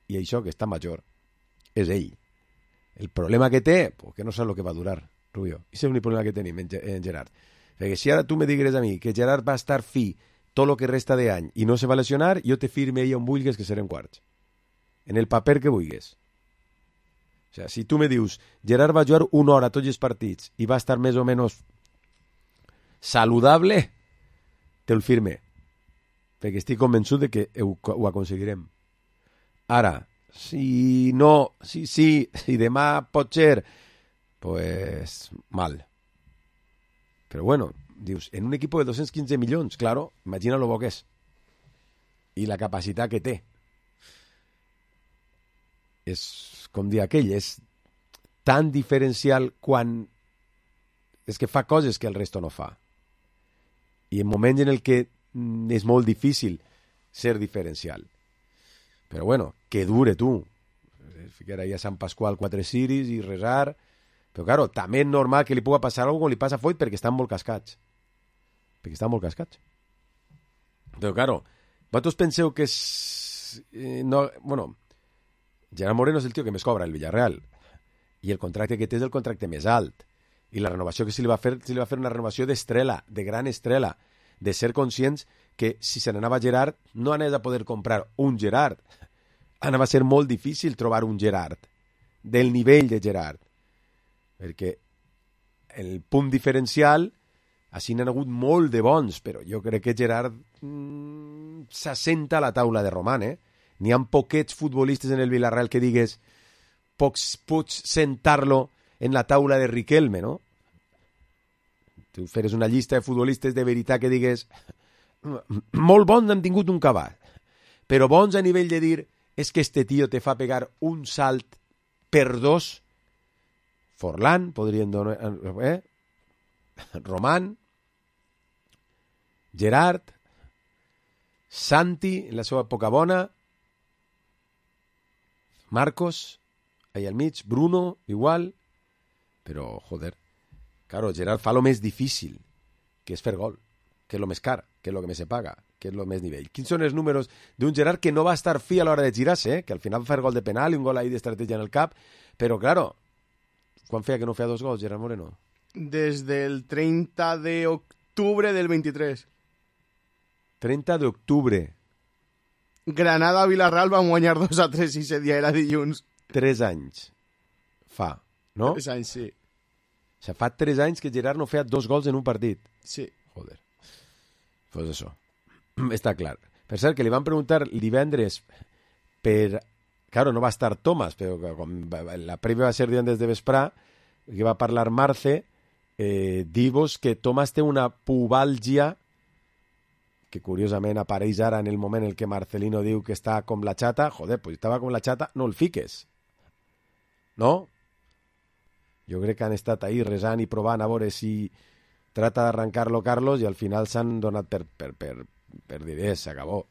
i això que està major, és ell. El problema que té, pues que no sap el que va durar, Rubio. I és l'únic problema que tenim en Gerard. Perquè si ara tu me digueres a mi que Gerard va estar fi tot el que resta d'any i no se va lesionar, jo te firme ell on vulguis que serem quarts. En el paper que vulguis. O sea, si tu me dius Gerard va jugar una hora a tots els partits i va estar més o menys saludable, te'l firme. Perquè estic convençut de que ho aconseguirem. Ara, si no, si demà pot ser, pues mal. Però bueno, dius, en un equip de 215 milions, claro, imagina lo bo que és. I la capacitat que té. És, com dir aquell, és tan diferencial quan és que fa coses que el resto no fa. I en moments en el que és molt difícil ser diferencial. Però bueno, que dure tu. Ficar ahí a Sant Pasqual 4 ciris i resar. Però claro, també és normal que li pugui passar alguna cosa com li passa a Foyt perquè estan molt cascats. Perquè estan molt cascats. Però claro, vosaltres penseu que és... no, bueno, Gerard Moreno és el tio que més cobra el Villarreal. I el contracte que té és el contracte més alt. I la renovació que se li va fer una renovació d'estrela, de gran estrela, de ser conscients que si se n'anava Gerard no anés a poder comprar un Gerard. Anava a ser molt difícil trobar un Gerard del nivell de Gerard. Perquè el punt diferencial, així n'han hagut molt de bons, però jo crec que Gerard s'assenta a la taula de Roman, N'hi ha poquets futbolistes en el Villarreal que digues pots sentar-lo en la taula de Riquelme, no? Tu feres una llista de futbolistes de veritat que digues molt bons han tingut un cavall, però bons a nivell de dir és que este tio te fa pegar un salt per dos. Forlán, podrien donar... Roman, Gerard, Santi, en la seva època bona, Marcos, ahí al mig, Bruno, igual, però, joder, claro, Gerard fa lo més difícil, que és fer gol, que és lo més car, que és lo que més se paga, que és lo més nivell. Quins són els números d'un Gerard que no va estar fi a l'hora de girar-se, que al final va fer gol de penal i un gol ahí d'estratègia en el cap, però, claro, quan feia que no feia 2 gols, Gerard Moreno? Des del 30 d'octubre del 23. 30 d'octubre. Granada-Villarreal van guanyar 2-3 i ese dia era dilluns. 3 anys fa, no? 3 anys, sí. O sigui, fa 3 anys que Gerard no feia 2 gols en un partit. Sí. Joder. Pues això. Està clar. Per cert, que li van preguntar divendres per... Claro, no va estar Tomàs, però com la prèvia va ser divendres de vesprà, que va parlar Marce, dir-vos que Tomàs té una pubalgia que curiosament apareix ara en el moment en què Marcelino diu que està com la xata. Joder, pues estava com la xata, no el fiques. No? Jo crec que han estat ahí resant i provant a veure si trata d'arrancar-lo Carlos i al final s'han donat per dir, s'acabó.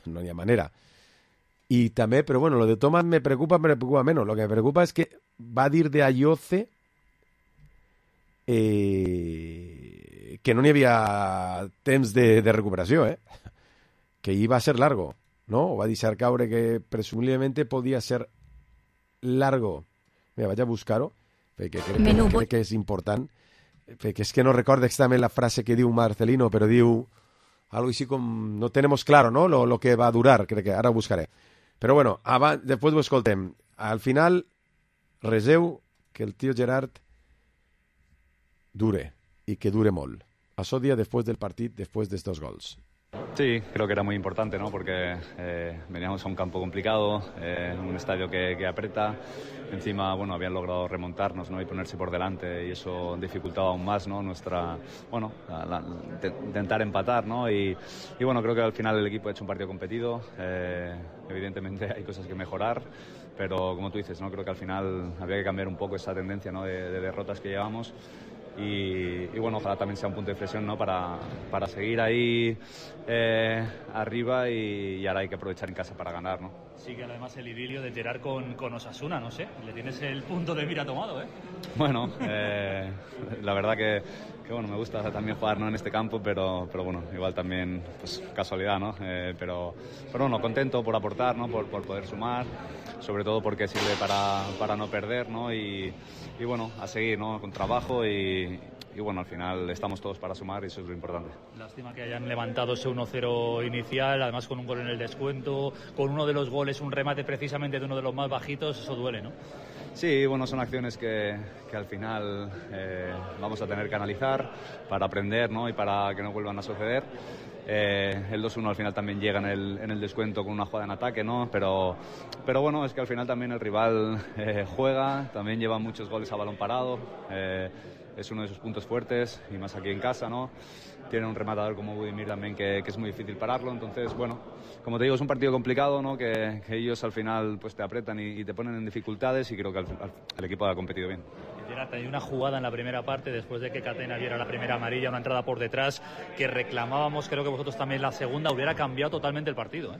No hi ha manera. I també, però bueno, lo de Tomàs me preocupa menos. Lo que me preocupa es que va dir de Ayoce que no n'hi havia temps de recuperació, que hi va ser largo, no? O va deixar caure que presumiblemente podia ser largo. Mira, vaig a buscar-ho, perquè crec que és important, perquè és que no recordo exactament la frase que diu Marcelino, però diu algo així com, no tenemos claro, ¿no? Lo que va a durar, crec que ara ho buscaré. Però bueno, després ho escoltem. Al final, reseu que el tio Gerard dure, y que dure molt. Pasó día después del partido, después de estos gols. Sí, creo que era muy importante, ¿no? Porque veníamos a un campo complicado, un estadio que aprieta. Encima, bueno, habían logrado remontarnos, ¿no? Y ponerse por delante, y eso dificultaba aún más, ¿no? Nuestra, bueno, intentar empatar, ¿no? Y bueno, creo que al final el equipo ha hecho un partido competido. Evidentemente hay cosas que mejorar, pero como tú dices, ¿no? Creo que al final habría que cambiar un poco esa tendencia, ¿no? De derrotas que llevamos. y bueno, ojalá también sea un punto de inflexión, ¿no? para seguir ahí arriba y ahora hay que aprovechar en casa para ganar, ¿no? Sí, que además el idilio de Gerard con Osasuna, no sé, le tienes el punto de mira tomado, ¿eh? Bueno, la verdad que bueno, me gusta también jugar, ¿no? En este campo, pero bueno, igual también pues casualidad, ¿no? Pero bueno, contento por aportar, ¿no? Por poder sumar, sobre todo porque sirve para no perder, ¿no? Y bueno, a seguir, ¿no? Con trabajo y bueno, al final estamos todos para sumar y eso es lo importante. Lástima que hayan levantado ese 1-0 inicial, además con un gol en el descuento, con uno de los goles, un remate precisamente de uno de los más bajitos, eso duele, ¿no? Sí, bueno, son acciones que al final vamos a tener que analizar para aprender, ¿no? Y para que no vuelvan a suceder. El 2-1 al final también llega en el descuento con una jugada en ataque, ¿no? Pero bueno, es que al final también el rival juega, también lleva muchos goles a balón parado. Es uno de sus puntos fuertes y más aquí en casa, ¿no? Tiene un rematador como Budimir también que es muy difícil pararlo, entonces bueno, como te digo, es un partido complicado, ¿no? Que ellos al final pues te apretan y te ponen en dificultades y creo que el equipo ha competido bien. Gerard, hay una jugada en la primera parte después de que Catena diera la primera amarilla, una entrada por detrás que reclamábamos, creo que vosotros también la segunda, hubiera cambiado totalmente el partido, ¿eh?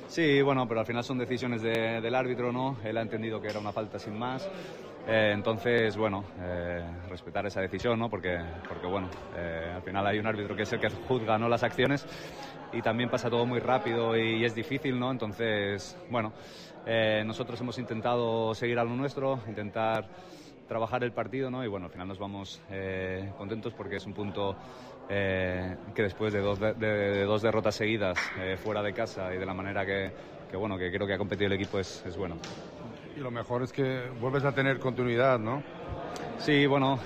Sí, bueno, pero al final son decisiones del árbitro, ¿no? Él ha entendido que era una falta sin más. Entonces, bueno, respetar esa decisión, ¿no? Porque bueno, al final hay un árbitro que es el que juzga, ¿no? Las acciones y también pasa todo muy rápido y es difícil, ¿no? Entonces, bueno, nosotros hemos intentado seguir a lo nuestro, intentar trabajar el partido, ¿no? Y bueno, al final nos vamos contentos porque es un punto que después de dos derrotas seguidas fuera de casa y de la manera que bueno, que creo que ha competido el equipo es bueno. Y lo mejor es que vuelves a tener continuidad, ¿no? Sí, bueno,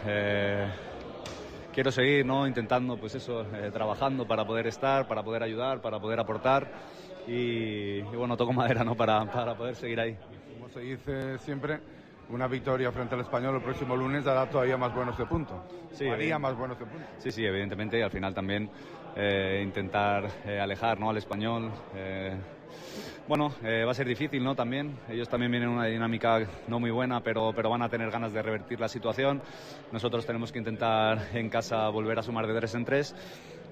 quiero seguir, ¿no? Intentando, pues eso, trabajando para poder estar, para poder ayudar, para poder aportar y bueno, toco madera, ¿no? Para poder seguir ahí. Como se dice siempre, una victoria frente al Español el próximo lunes dará todavía más buenos de punto. Sí, haría más buenos de punto. Sí, evidentemente, y al final también intentar alejar, ¿no? Al Español. Bueno, va a ser difícil, ¿no? También, ellos también vienen en una dinámica no muy buena, pero van a tener ganas de revertir la situación. Nosotros tenemos que intentar en casa volver a sumar de 3 en 3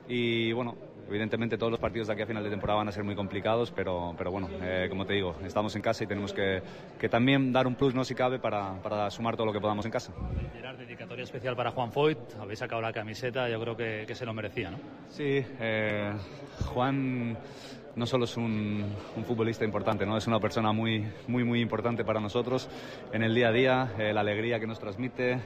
y bueno, evidentemente todos los partidos de aquí a final de temporada van a ser muy complicados, pero bueno, como te digo, estamos en casa y tenemos que también dar un plus, ¿no? Si cabe, para sumar todo lo que podamos en casa. Gerard, dedicatoria especial para Juan Foyt, habéis sacado la camiseta, yo creo que se lo merecía, ¿no? Sí, Juan no solo es un futbolista importante, ¿no? Es una persona muy importante para nosotros en el día a día, la alegría que nos transmite,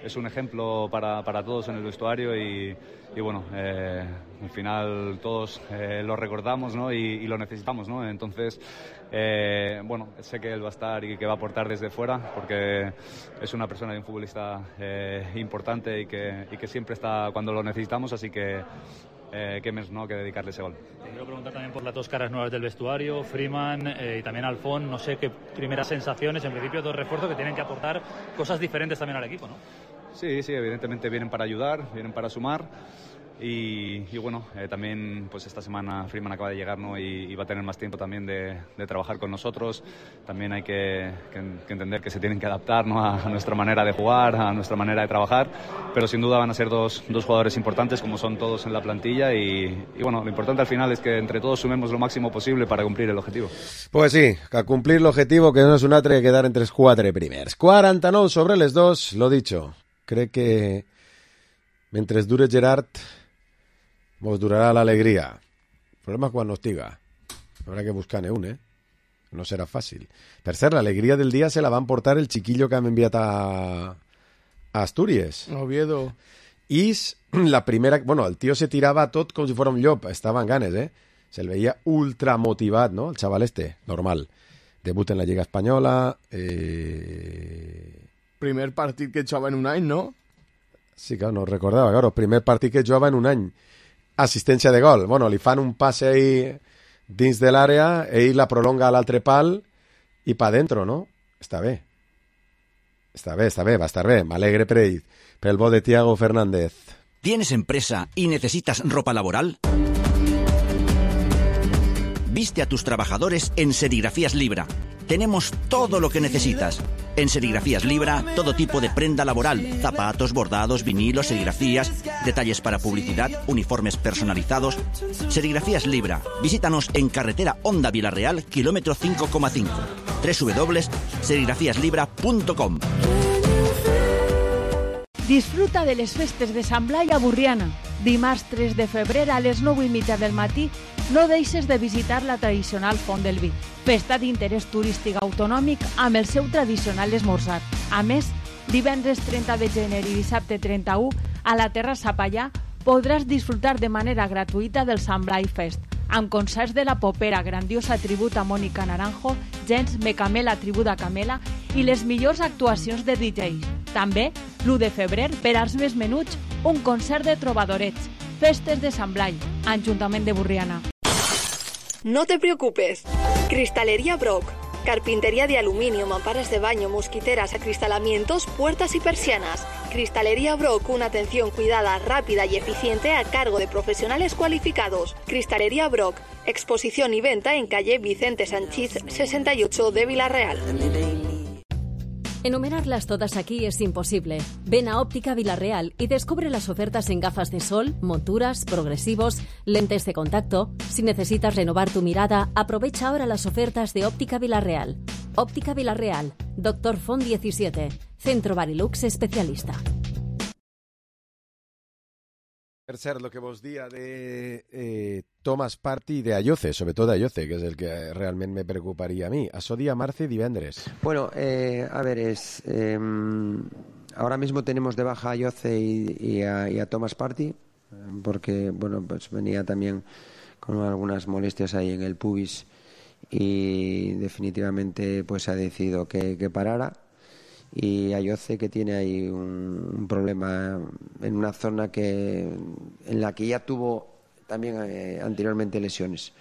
es un ejemplo para todos en el vestuario y bueno, al final todos lo recordamos, ¿no? y lo necesitamos, ¿no? Entonces, bueno, sé que él va a estar y que va a aportar desde fuera porque es una persona y un futbolista importante y que siempre está cuando lo necesitamos, así que qué más, ¿no? Que dedicarle ese gol. Te quiero preguntar también por las dos caras nuevas del vestuario, Freeman y también Alfón, no sé qué primeras sensaciones, en principio dos refuerzos que tienen que aportar cosas diferentes también al equipo, ¿no? Sí, evidentemente vienen para ayudar, vienen para sumar y bueno, también pues esta semana Freeman acaba de llegar, ¿no? y va a tener más tiempo también de trabajar con nosotros. También hay que entender que se tienen que adaptar, ¿no? a nuestra manera de jugar, a nuestra manera de trabajar, pero sin duda van a ser dos jugadores importantes como son todos en la plantilla y bueno, lo importante al final es que entre todos sumemos lo máximo posible para cumplir el objetivo. Pues sí, a cumplir l'objectiu que no és un altre que quedar entre els 4 primers. 49 sobre les 2, lo dicho. Crec que mentre dure Gerard vos durarà l'alegria. El problema és quan no estiga. Habrá que buscar-ne un, No serà fàcil. Per cert, l'alegria del dia se la van portar el chiquillo que hem enviat a Astúries. Oviedo. I la primera... Bueno, el tio se tirava tot com si fos un llop. Estava en ganes, Se'l veia ultra motivat, ¿no? El chaval normal. Debut en la Lliga Espanyola. Primer partit que jugava en un any, ¿no? Sí, claro, no recordava. Claro, primer partit que jugava en un any. Assistència de gol. Bueno, li fan un passe ahí dins de l'àrea, ell la prolonga a l'altre pal i pa dentro, ¿no? Està bé. Està bé, va estar bé. M'alegre per ell. Pel bo de Thiago Fernández. ¿Tienes empresa y necesitas ropa laboral? Viste a tus trabajadores en Serigrafías Libra. tenemos todo lo que necesitas. En Serigrafías Libra, todo tipo de prenda laboral, zapatos, bordados, vinilos, serigrafías, detalles para publicidad, uniformes personalizados. Serigrafías Libra. Visítanos en carretera Honda Vilareal, kilómetro 5,5. www.serigrafiaslibra.com. Disfruta de les festes de Sant Blai a Burriana. Dimarts 3 de febrer a les 9:30 del matí no deixes de visitar la tradicional Font del Vi, festa d'interès turístic autonòmic amb el seu tradicional esmorzar. A més, divendres 30 de gener i dissabte 31 a la Terrassa Pallà podràs disfrutar de manera gratuïta del Sant Blai Fest, amb concerts de la Popera, grandiosa tribut a Mònica Naranjo, Gens Mecamela, tribut a Camela i les millors actuacions de DJs. També, l'1 de febrer, per als més menuts, un concert de trobadorets. Festes de Sant Blai, Ajuntament de Burriana. No te preocupes. Cristalería Brock. Carpintería de aluminio, mamparas de baño, mosquiteras, acristalamientos, puertas y persianas. Cristalería Brock, una atención cuidada, rápida y eficiente a cargo de profesionales cualificados. Cristalería Brock, exposición y venta en calle Vicente Sanchís 68 de Vilareal. Enumerarlas todas aquí es imposible. Ven a Óptica Vilareal y descubre las ofertas en gafas de sol, monturas, progresivos, lentes de contacto. Si necesitas renovar tu mirada, aprovecha ahora las ofertas de Óptica Vilareal. Óptica Vilareal, Dr. Font 17, Centro Barilux especialista. Per cert, lo que vos dia de Thomas Partey y de Ayoce, sobre todo Ayoce, que es el que realmente me preocuparía a mí. Això dia marzo y divendres. Bueno, a ver, ahora mismo tenemos de baja a Ayoce y a Thomas Partey, porque, bueno, pues venía también con algunas molestias ahí en el pubis y definitivamente pues ha decidido que parara. Y Ayoce, que tiene ahí un problema en una zona en la que ya tuvo también anteriormente lesiones.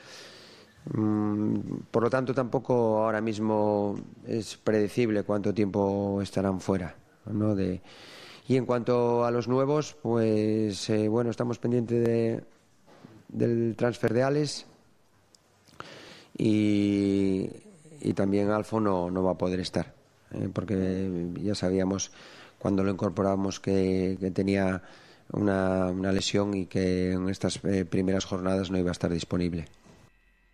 Por lo tanto, tampoco ahora mismo es predecible cuánto tiempo estarán fuera, ¿no? Y en cuanto a los nuevos, pues bueno, estamos pendientes del transfer de Alex y también Alfo no va a poder estar. Porque ya sabíamos cuando lo incorporamos que tenía una lesión y que en estas primeras jornadas no iba a estar disponible.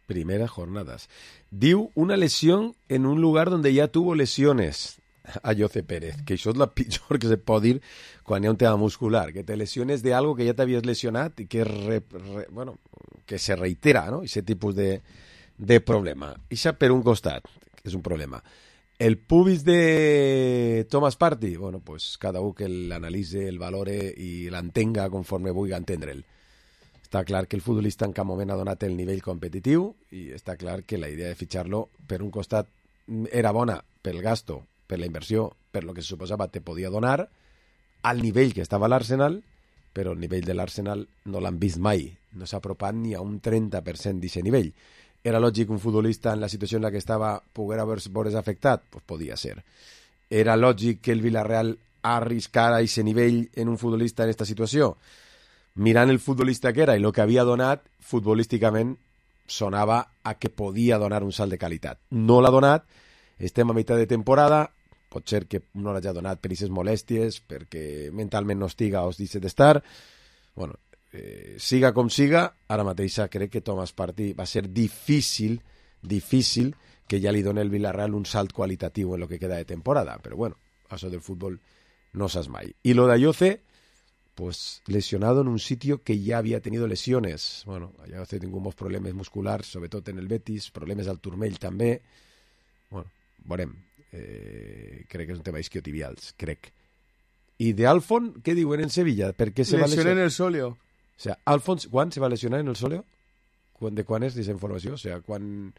Primeras jornadas. Diu una lesión en un lugar donde ya tuvo lesiones. Ayoce Pérez, que això és la pitjor que se pot dir quan hi ha un tema muscular, que te lesiones de algo que ja t'havies lesionat i que bueno, que se reitera, ¿no? Ese tipus de problema. Ixa per un costat, que és un problema. El pubis de Thomas Partey, bueno, pues cada un que l'analitze, el valore i l'entenga conforme vulgui entendre'l. Està clar que el futbolista en cap moment ha donat el nivell competitiu i està clar que la idea de fitxar-lo, per un costat, era bona pel gasto, per la inversió, per lo que se suposava te podia donar, al nivell que estava l'Arsenal, però el nivell de l'Arsenal no l'han vist mai, no s'ha apropat ni a un 30% d'aquest nivell. Era lògic un futbolista en la situació en la que estava poguera veure's afectat? Pues podia ser. Era lògic que el Villarreal arriscara aquest nivell en un futbolista en aquesta situació? Mirant el futbolista que era i el que havia donat, futbolísticament sonava a que podia donar un salt de qualitat. No l'ha donat, estem a meitat de temporada, pot ser que no l'hagi donat per aquestes molèsties, perquè mentalment no estiga o es deixa d'estar. Bueno, siga com siga, ara mateix crec que Thomas Partey va ser difícil que ja li doni el Villarreal un salt qualitatiu en lo que queda de temporada, però bueno, això del futbol no saps mai. Y lo de Ayoce, pues lesionado en un sitio que ya había tenido lesiones. Bueno, Ayoce tingut problemes musculars, sobretot en el Betis, problemes al turmell també. Bueno, veurem. Crec que és un tema isquiotibials, crec. I de Alfon, què diuen en Sevilla? Per què se va lesionar? Lesión en el sóleo. O sea, Alfons, ¿cuán se va a lesionar en el sóleo? ¿De quan és aquesta informació? O sea, quan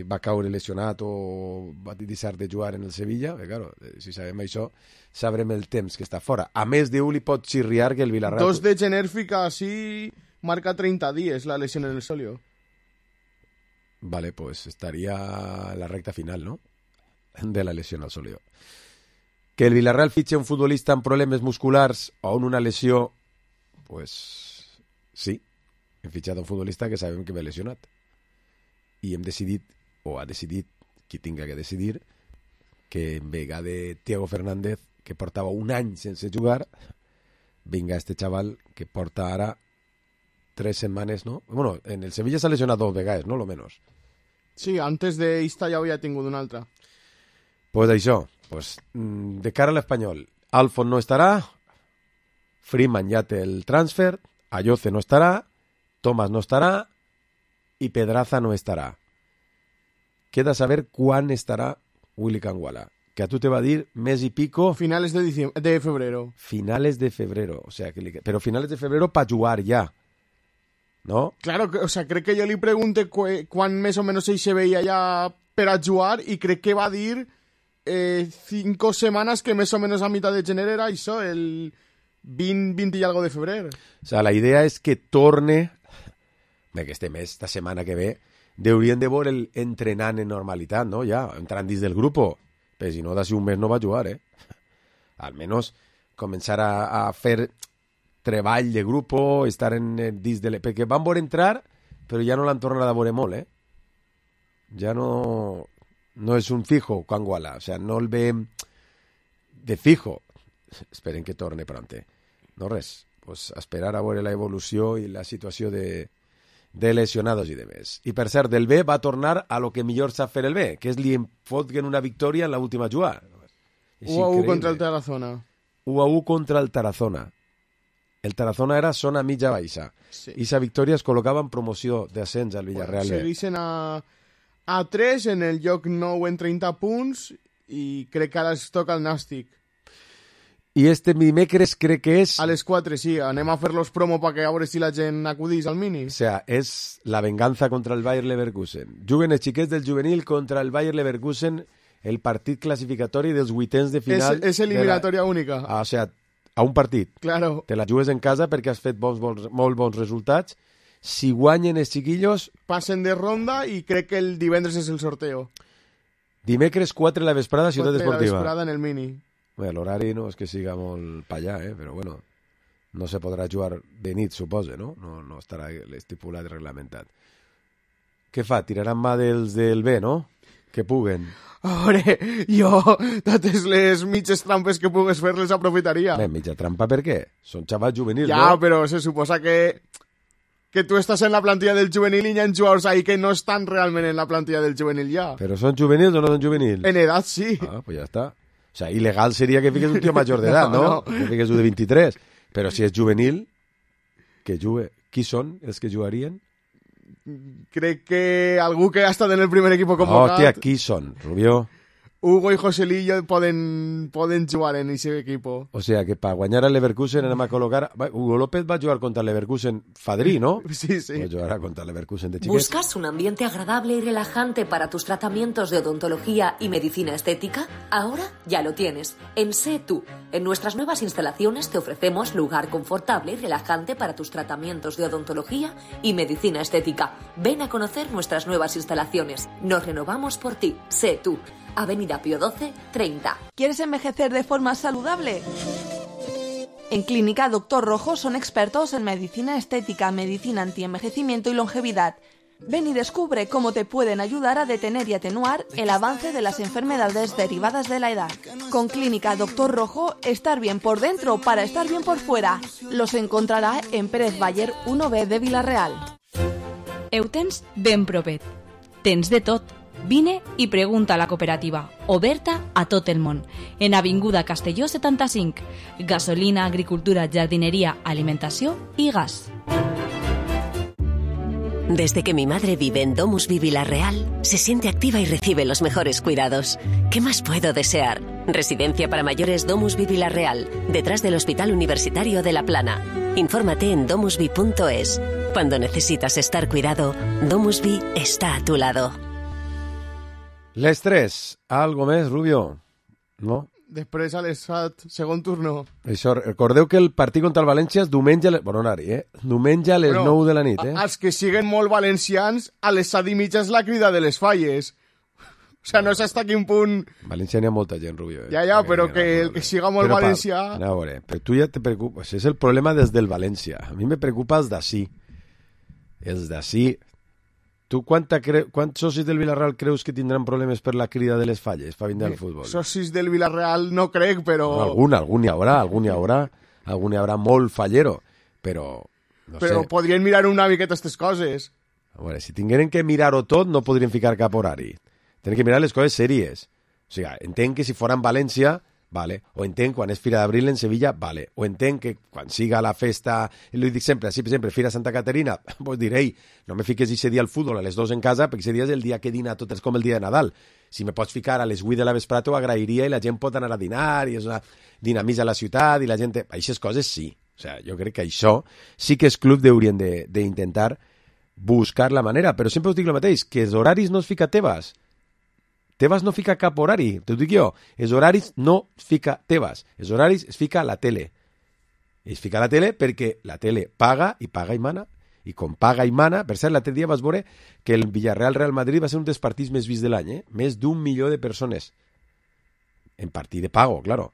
va caure lesionat o va deixar de jugar en el Sevilla? Claro, si sabem això, sabrem el temps que està fora. A més de li pot xirriar que el Villarreal... 2 de gener fica así, marca 30 días la lesión en el sóleo. Vale, pues estaría la recta final, ¿no? De la lesión al sóleo. Que el Villarreal fitxe un futbolista amb problemes musculars o en una lesió, pues sí, hem fitxat un futbolista que sabem que ve lesionat. I hem decidit, o ha decidit, qui tinga que decidir, que en vega de Thiago Fernández, que portava un any sense jugar, vinga este chaval que porta ara 3 setmanes, no? Bueno, en el Sevilla s'ha lesionat 2 vegades, no? Lo menos. Sí, antes d'esta ja havia tingut una altra. Pues això, pues, de cara a l'Espanyol, Alfon no estarà, Freeman ja té el transfer, Ayoce no estarà, Thomas no estarà i Pedraza no estarà. Queda saber quan estarà Willy Kangwala, que a tu te va dir mes y pico... Finales de febrero. Finales de febrero, o sea, pero finales de febrero para jugar ya, ¿no? Claro, o sea, crec que jo li pregunte quan més o menys ell se veia ja per a jugar i crec que va dir 5 setmanes que més o menys a mitad de gener era això, el 20 y algo de febrer. O sea, la idea és que torne, que este mes, esta setmana que ve, deurien de veure el entrenant en normalitat, no? Ja, entrant dins del grup, però si no, d'ací un mes no va jugar, Almenys començar a fer treball de grup, estar dins de... Perquè van veure entrar, però ja no l'han tornat a veure molt, Ja no és un fijo, Kangwala, o sea, no el ve de fijo. Esperen que torne pronte. No res, pues esperar a veure la evolució i la situació de lesionados i demés. I per cert, el B va tornar a lo que millor sap fer el B, que és li fotguen una victòria en l'última jugada. 1-1 contra el Tarazona. 1-1 contra el Tarazona. El Tarazona era zona mitja baixa. Sí. I sa victòria es col·locava en promoció d'ascens al Villarreal B. Segueixen a 3 en el lloc 9 en 30 punts i crec que ara es toca el Nàstic. I este dimecres crec que és... A les 4, sí. Anem a fer-los promo perquè a veure si la gent acudís al mini. O sea, és la venganza contra el Bayer Leverkusen. Juguen els xiquets del juvenil contra el Bayer Leverkusen el partit classificatori dels vuitens de final... És eliminatòria única. O sea, a un partit. Claro. Te la jugues en casa perquè has fet molt bons resultats. Si guanyen els xiquillos... Passen de ronda i crec que el divendres és el sorteo. Dimecres 4 a la vesprada, Ciutat Esportiva. 4 a la vesprada en el mini. Bé, l'horari no és que siga molt pa allà, però bueno, no se podrà jugar de nit, suposa, no? No estarà estipulat i reglamentat. Què fa? Tiraran mà dels del B, no? Que puguen. A veure, jo, totes les mitges trampes que pugues fer les aprofitaria. Mitja trampa per què? Són xavals juvenils, no? Ja, però se suposa que tu estàs en la plantilla del juvenil i hi ha jugadors ahí que no estan realment en la plantilla del juvenil ja. Però són juvenils o no són juvenils? En edat, sí. Ah, pues ja està. O sea, ilegal sería que fiques un tío mayor de edad, ¿no? Que fiques un de 23. Pero si es juvenil, que jugue. Qui són els que jugarien? Crec que algú que ha estat en el primer equip convocat... Hòstia, qui són, Rubió? Hugo i Joselillo poden jugar en ese equipo. O sea, que para guanyar al Leverkusen anem a colocar... Hugo López va jugar contra el Leverkusen Fadrí, ¿no? Sí, sí. Va jugar contra el Leverkusen de chiquet. ¿Buscas un ambiente agradable y relajante para tus tratamientos de odontología y medicina estética? Ahora ya lo tienes. En Sé Tú. En nuestras nuevas instalaciones te ofrecemos lugar confortable y relajante para tus tratamientos de odontología y medicina estética. Ven a conocer nuestras nuevas instalaciones. Nos renovamos por ti. Sé Tú. Avenida Pío XII, 30. ¿Quieres envejecer de forma saludable? En Clínica Doctor Rojo son expertos en medicina estética, medicina antienvejecimiento y longevidad. Ven y descubre cómo te pueden ayudar a detener y atenuar el avance de las enfermedades derivadas de la edad. Con Clínica Doctor Rojo, estar bien por dentro para estar bien por fuera. Los encontrará en Pérez Bayer 1B de Vilareal. Ho tens ben propet. Tens de tot. Vine i pregunta a la cooperativa, oberta a tot el món, en Avinguda Castelló 75, gasolina, agricultura, jardinería, alimentació i gas. Desde que mi madre vive en Domusvi Vilareal, se siente activa y recibe los mejores cuidados. ¿Qué más puedo desear? Residencia para mayores Domusvi Vilareal, detrás del Hospital Universitario de La Plana. Infórmate en domusvi.es. Cuando necesitas estar cuidado, Domusvi está a tu lado. Les 3, algo més, Rubio? No? Després a les 7, segon turno. Això, recordeu que el partit contra el València és diumenge, diumenge a les 9 de la nit. Els que siguen molt valencians, a les 7 i mitja és la crida de les falles. O sea, no sé hasta quin punt... Valencià n'hi ha molta gent, Rubio. Ja, però que el que siga molt valencià... A veure, però tu ja te preocupes. És el problema des del València. A mi me preocupa els d'ací. Els d'ací... Tu quants socis del Villarreal creus que tindran problemes per la crida de les falles per vindre al futbol? Socis del Villarreal no crec, però... No, algun hi haurà molt fallero, però... No però sé. podrien mirar una miqueta aquestes coses. A veure, si tingueren que mirar-ho tot, no podrien ficar cap horari. Tenen que mirar les coses sèries. O sigui, entenc que si fora en València, vale, o entenc quan és Fira d'Abril en Sevilla, vale, o entenc que quan siga la festa, li dic sempre, Fira Santa Caterina, pues diré, no me fiques ese dia al futbol a les 2 en casa, perquè ese dia és el dia que dina tot, és com el dia de Nadal. Si me pots ficar a les 8 de la vesprada, t'ho agrairia i la gent pot anar a dinar, i és una dinamitza la ciutat, i la gent... Aquestes coses sí. O sigui, jo crec que això sí que els clubs haurien d'intentar buscar la manera, però sempre us dic el mateix, que els horaris no es fica Tebas. Tebas no fica cap horari, t'ho dic jo. Els horaris no fica Tebas. Els horaris es fica a la tele. Es fica a la tele perquè la tele paga i mana. I com paga i mana, per cert, l'altre dia vas veure que el Villarreal-Real Madrid va ser un dels partits més vists de l'any, Més d'1 milió de persones. En partit de pago, claro.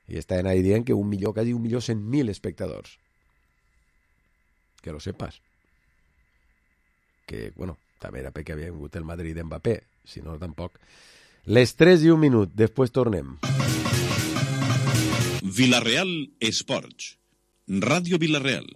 I estaven ahí dient que quasi 1.100.000 espectadors. Que lo sepas. Que, bueno, també era perquè havia vingut el Madrid d'Mbappé, si no, tampoc. Les 3:01, després tornem. Villarreal Esports. Ràdio Villarreal.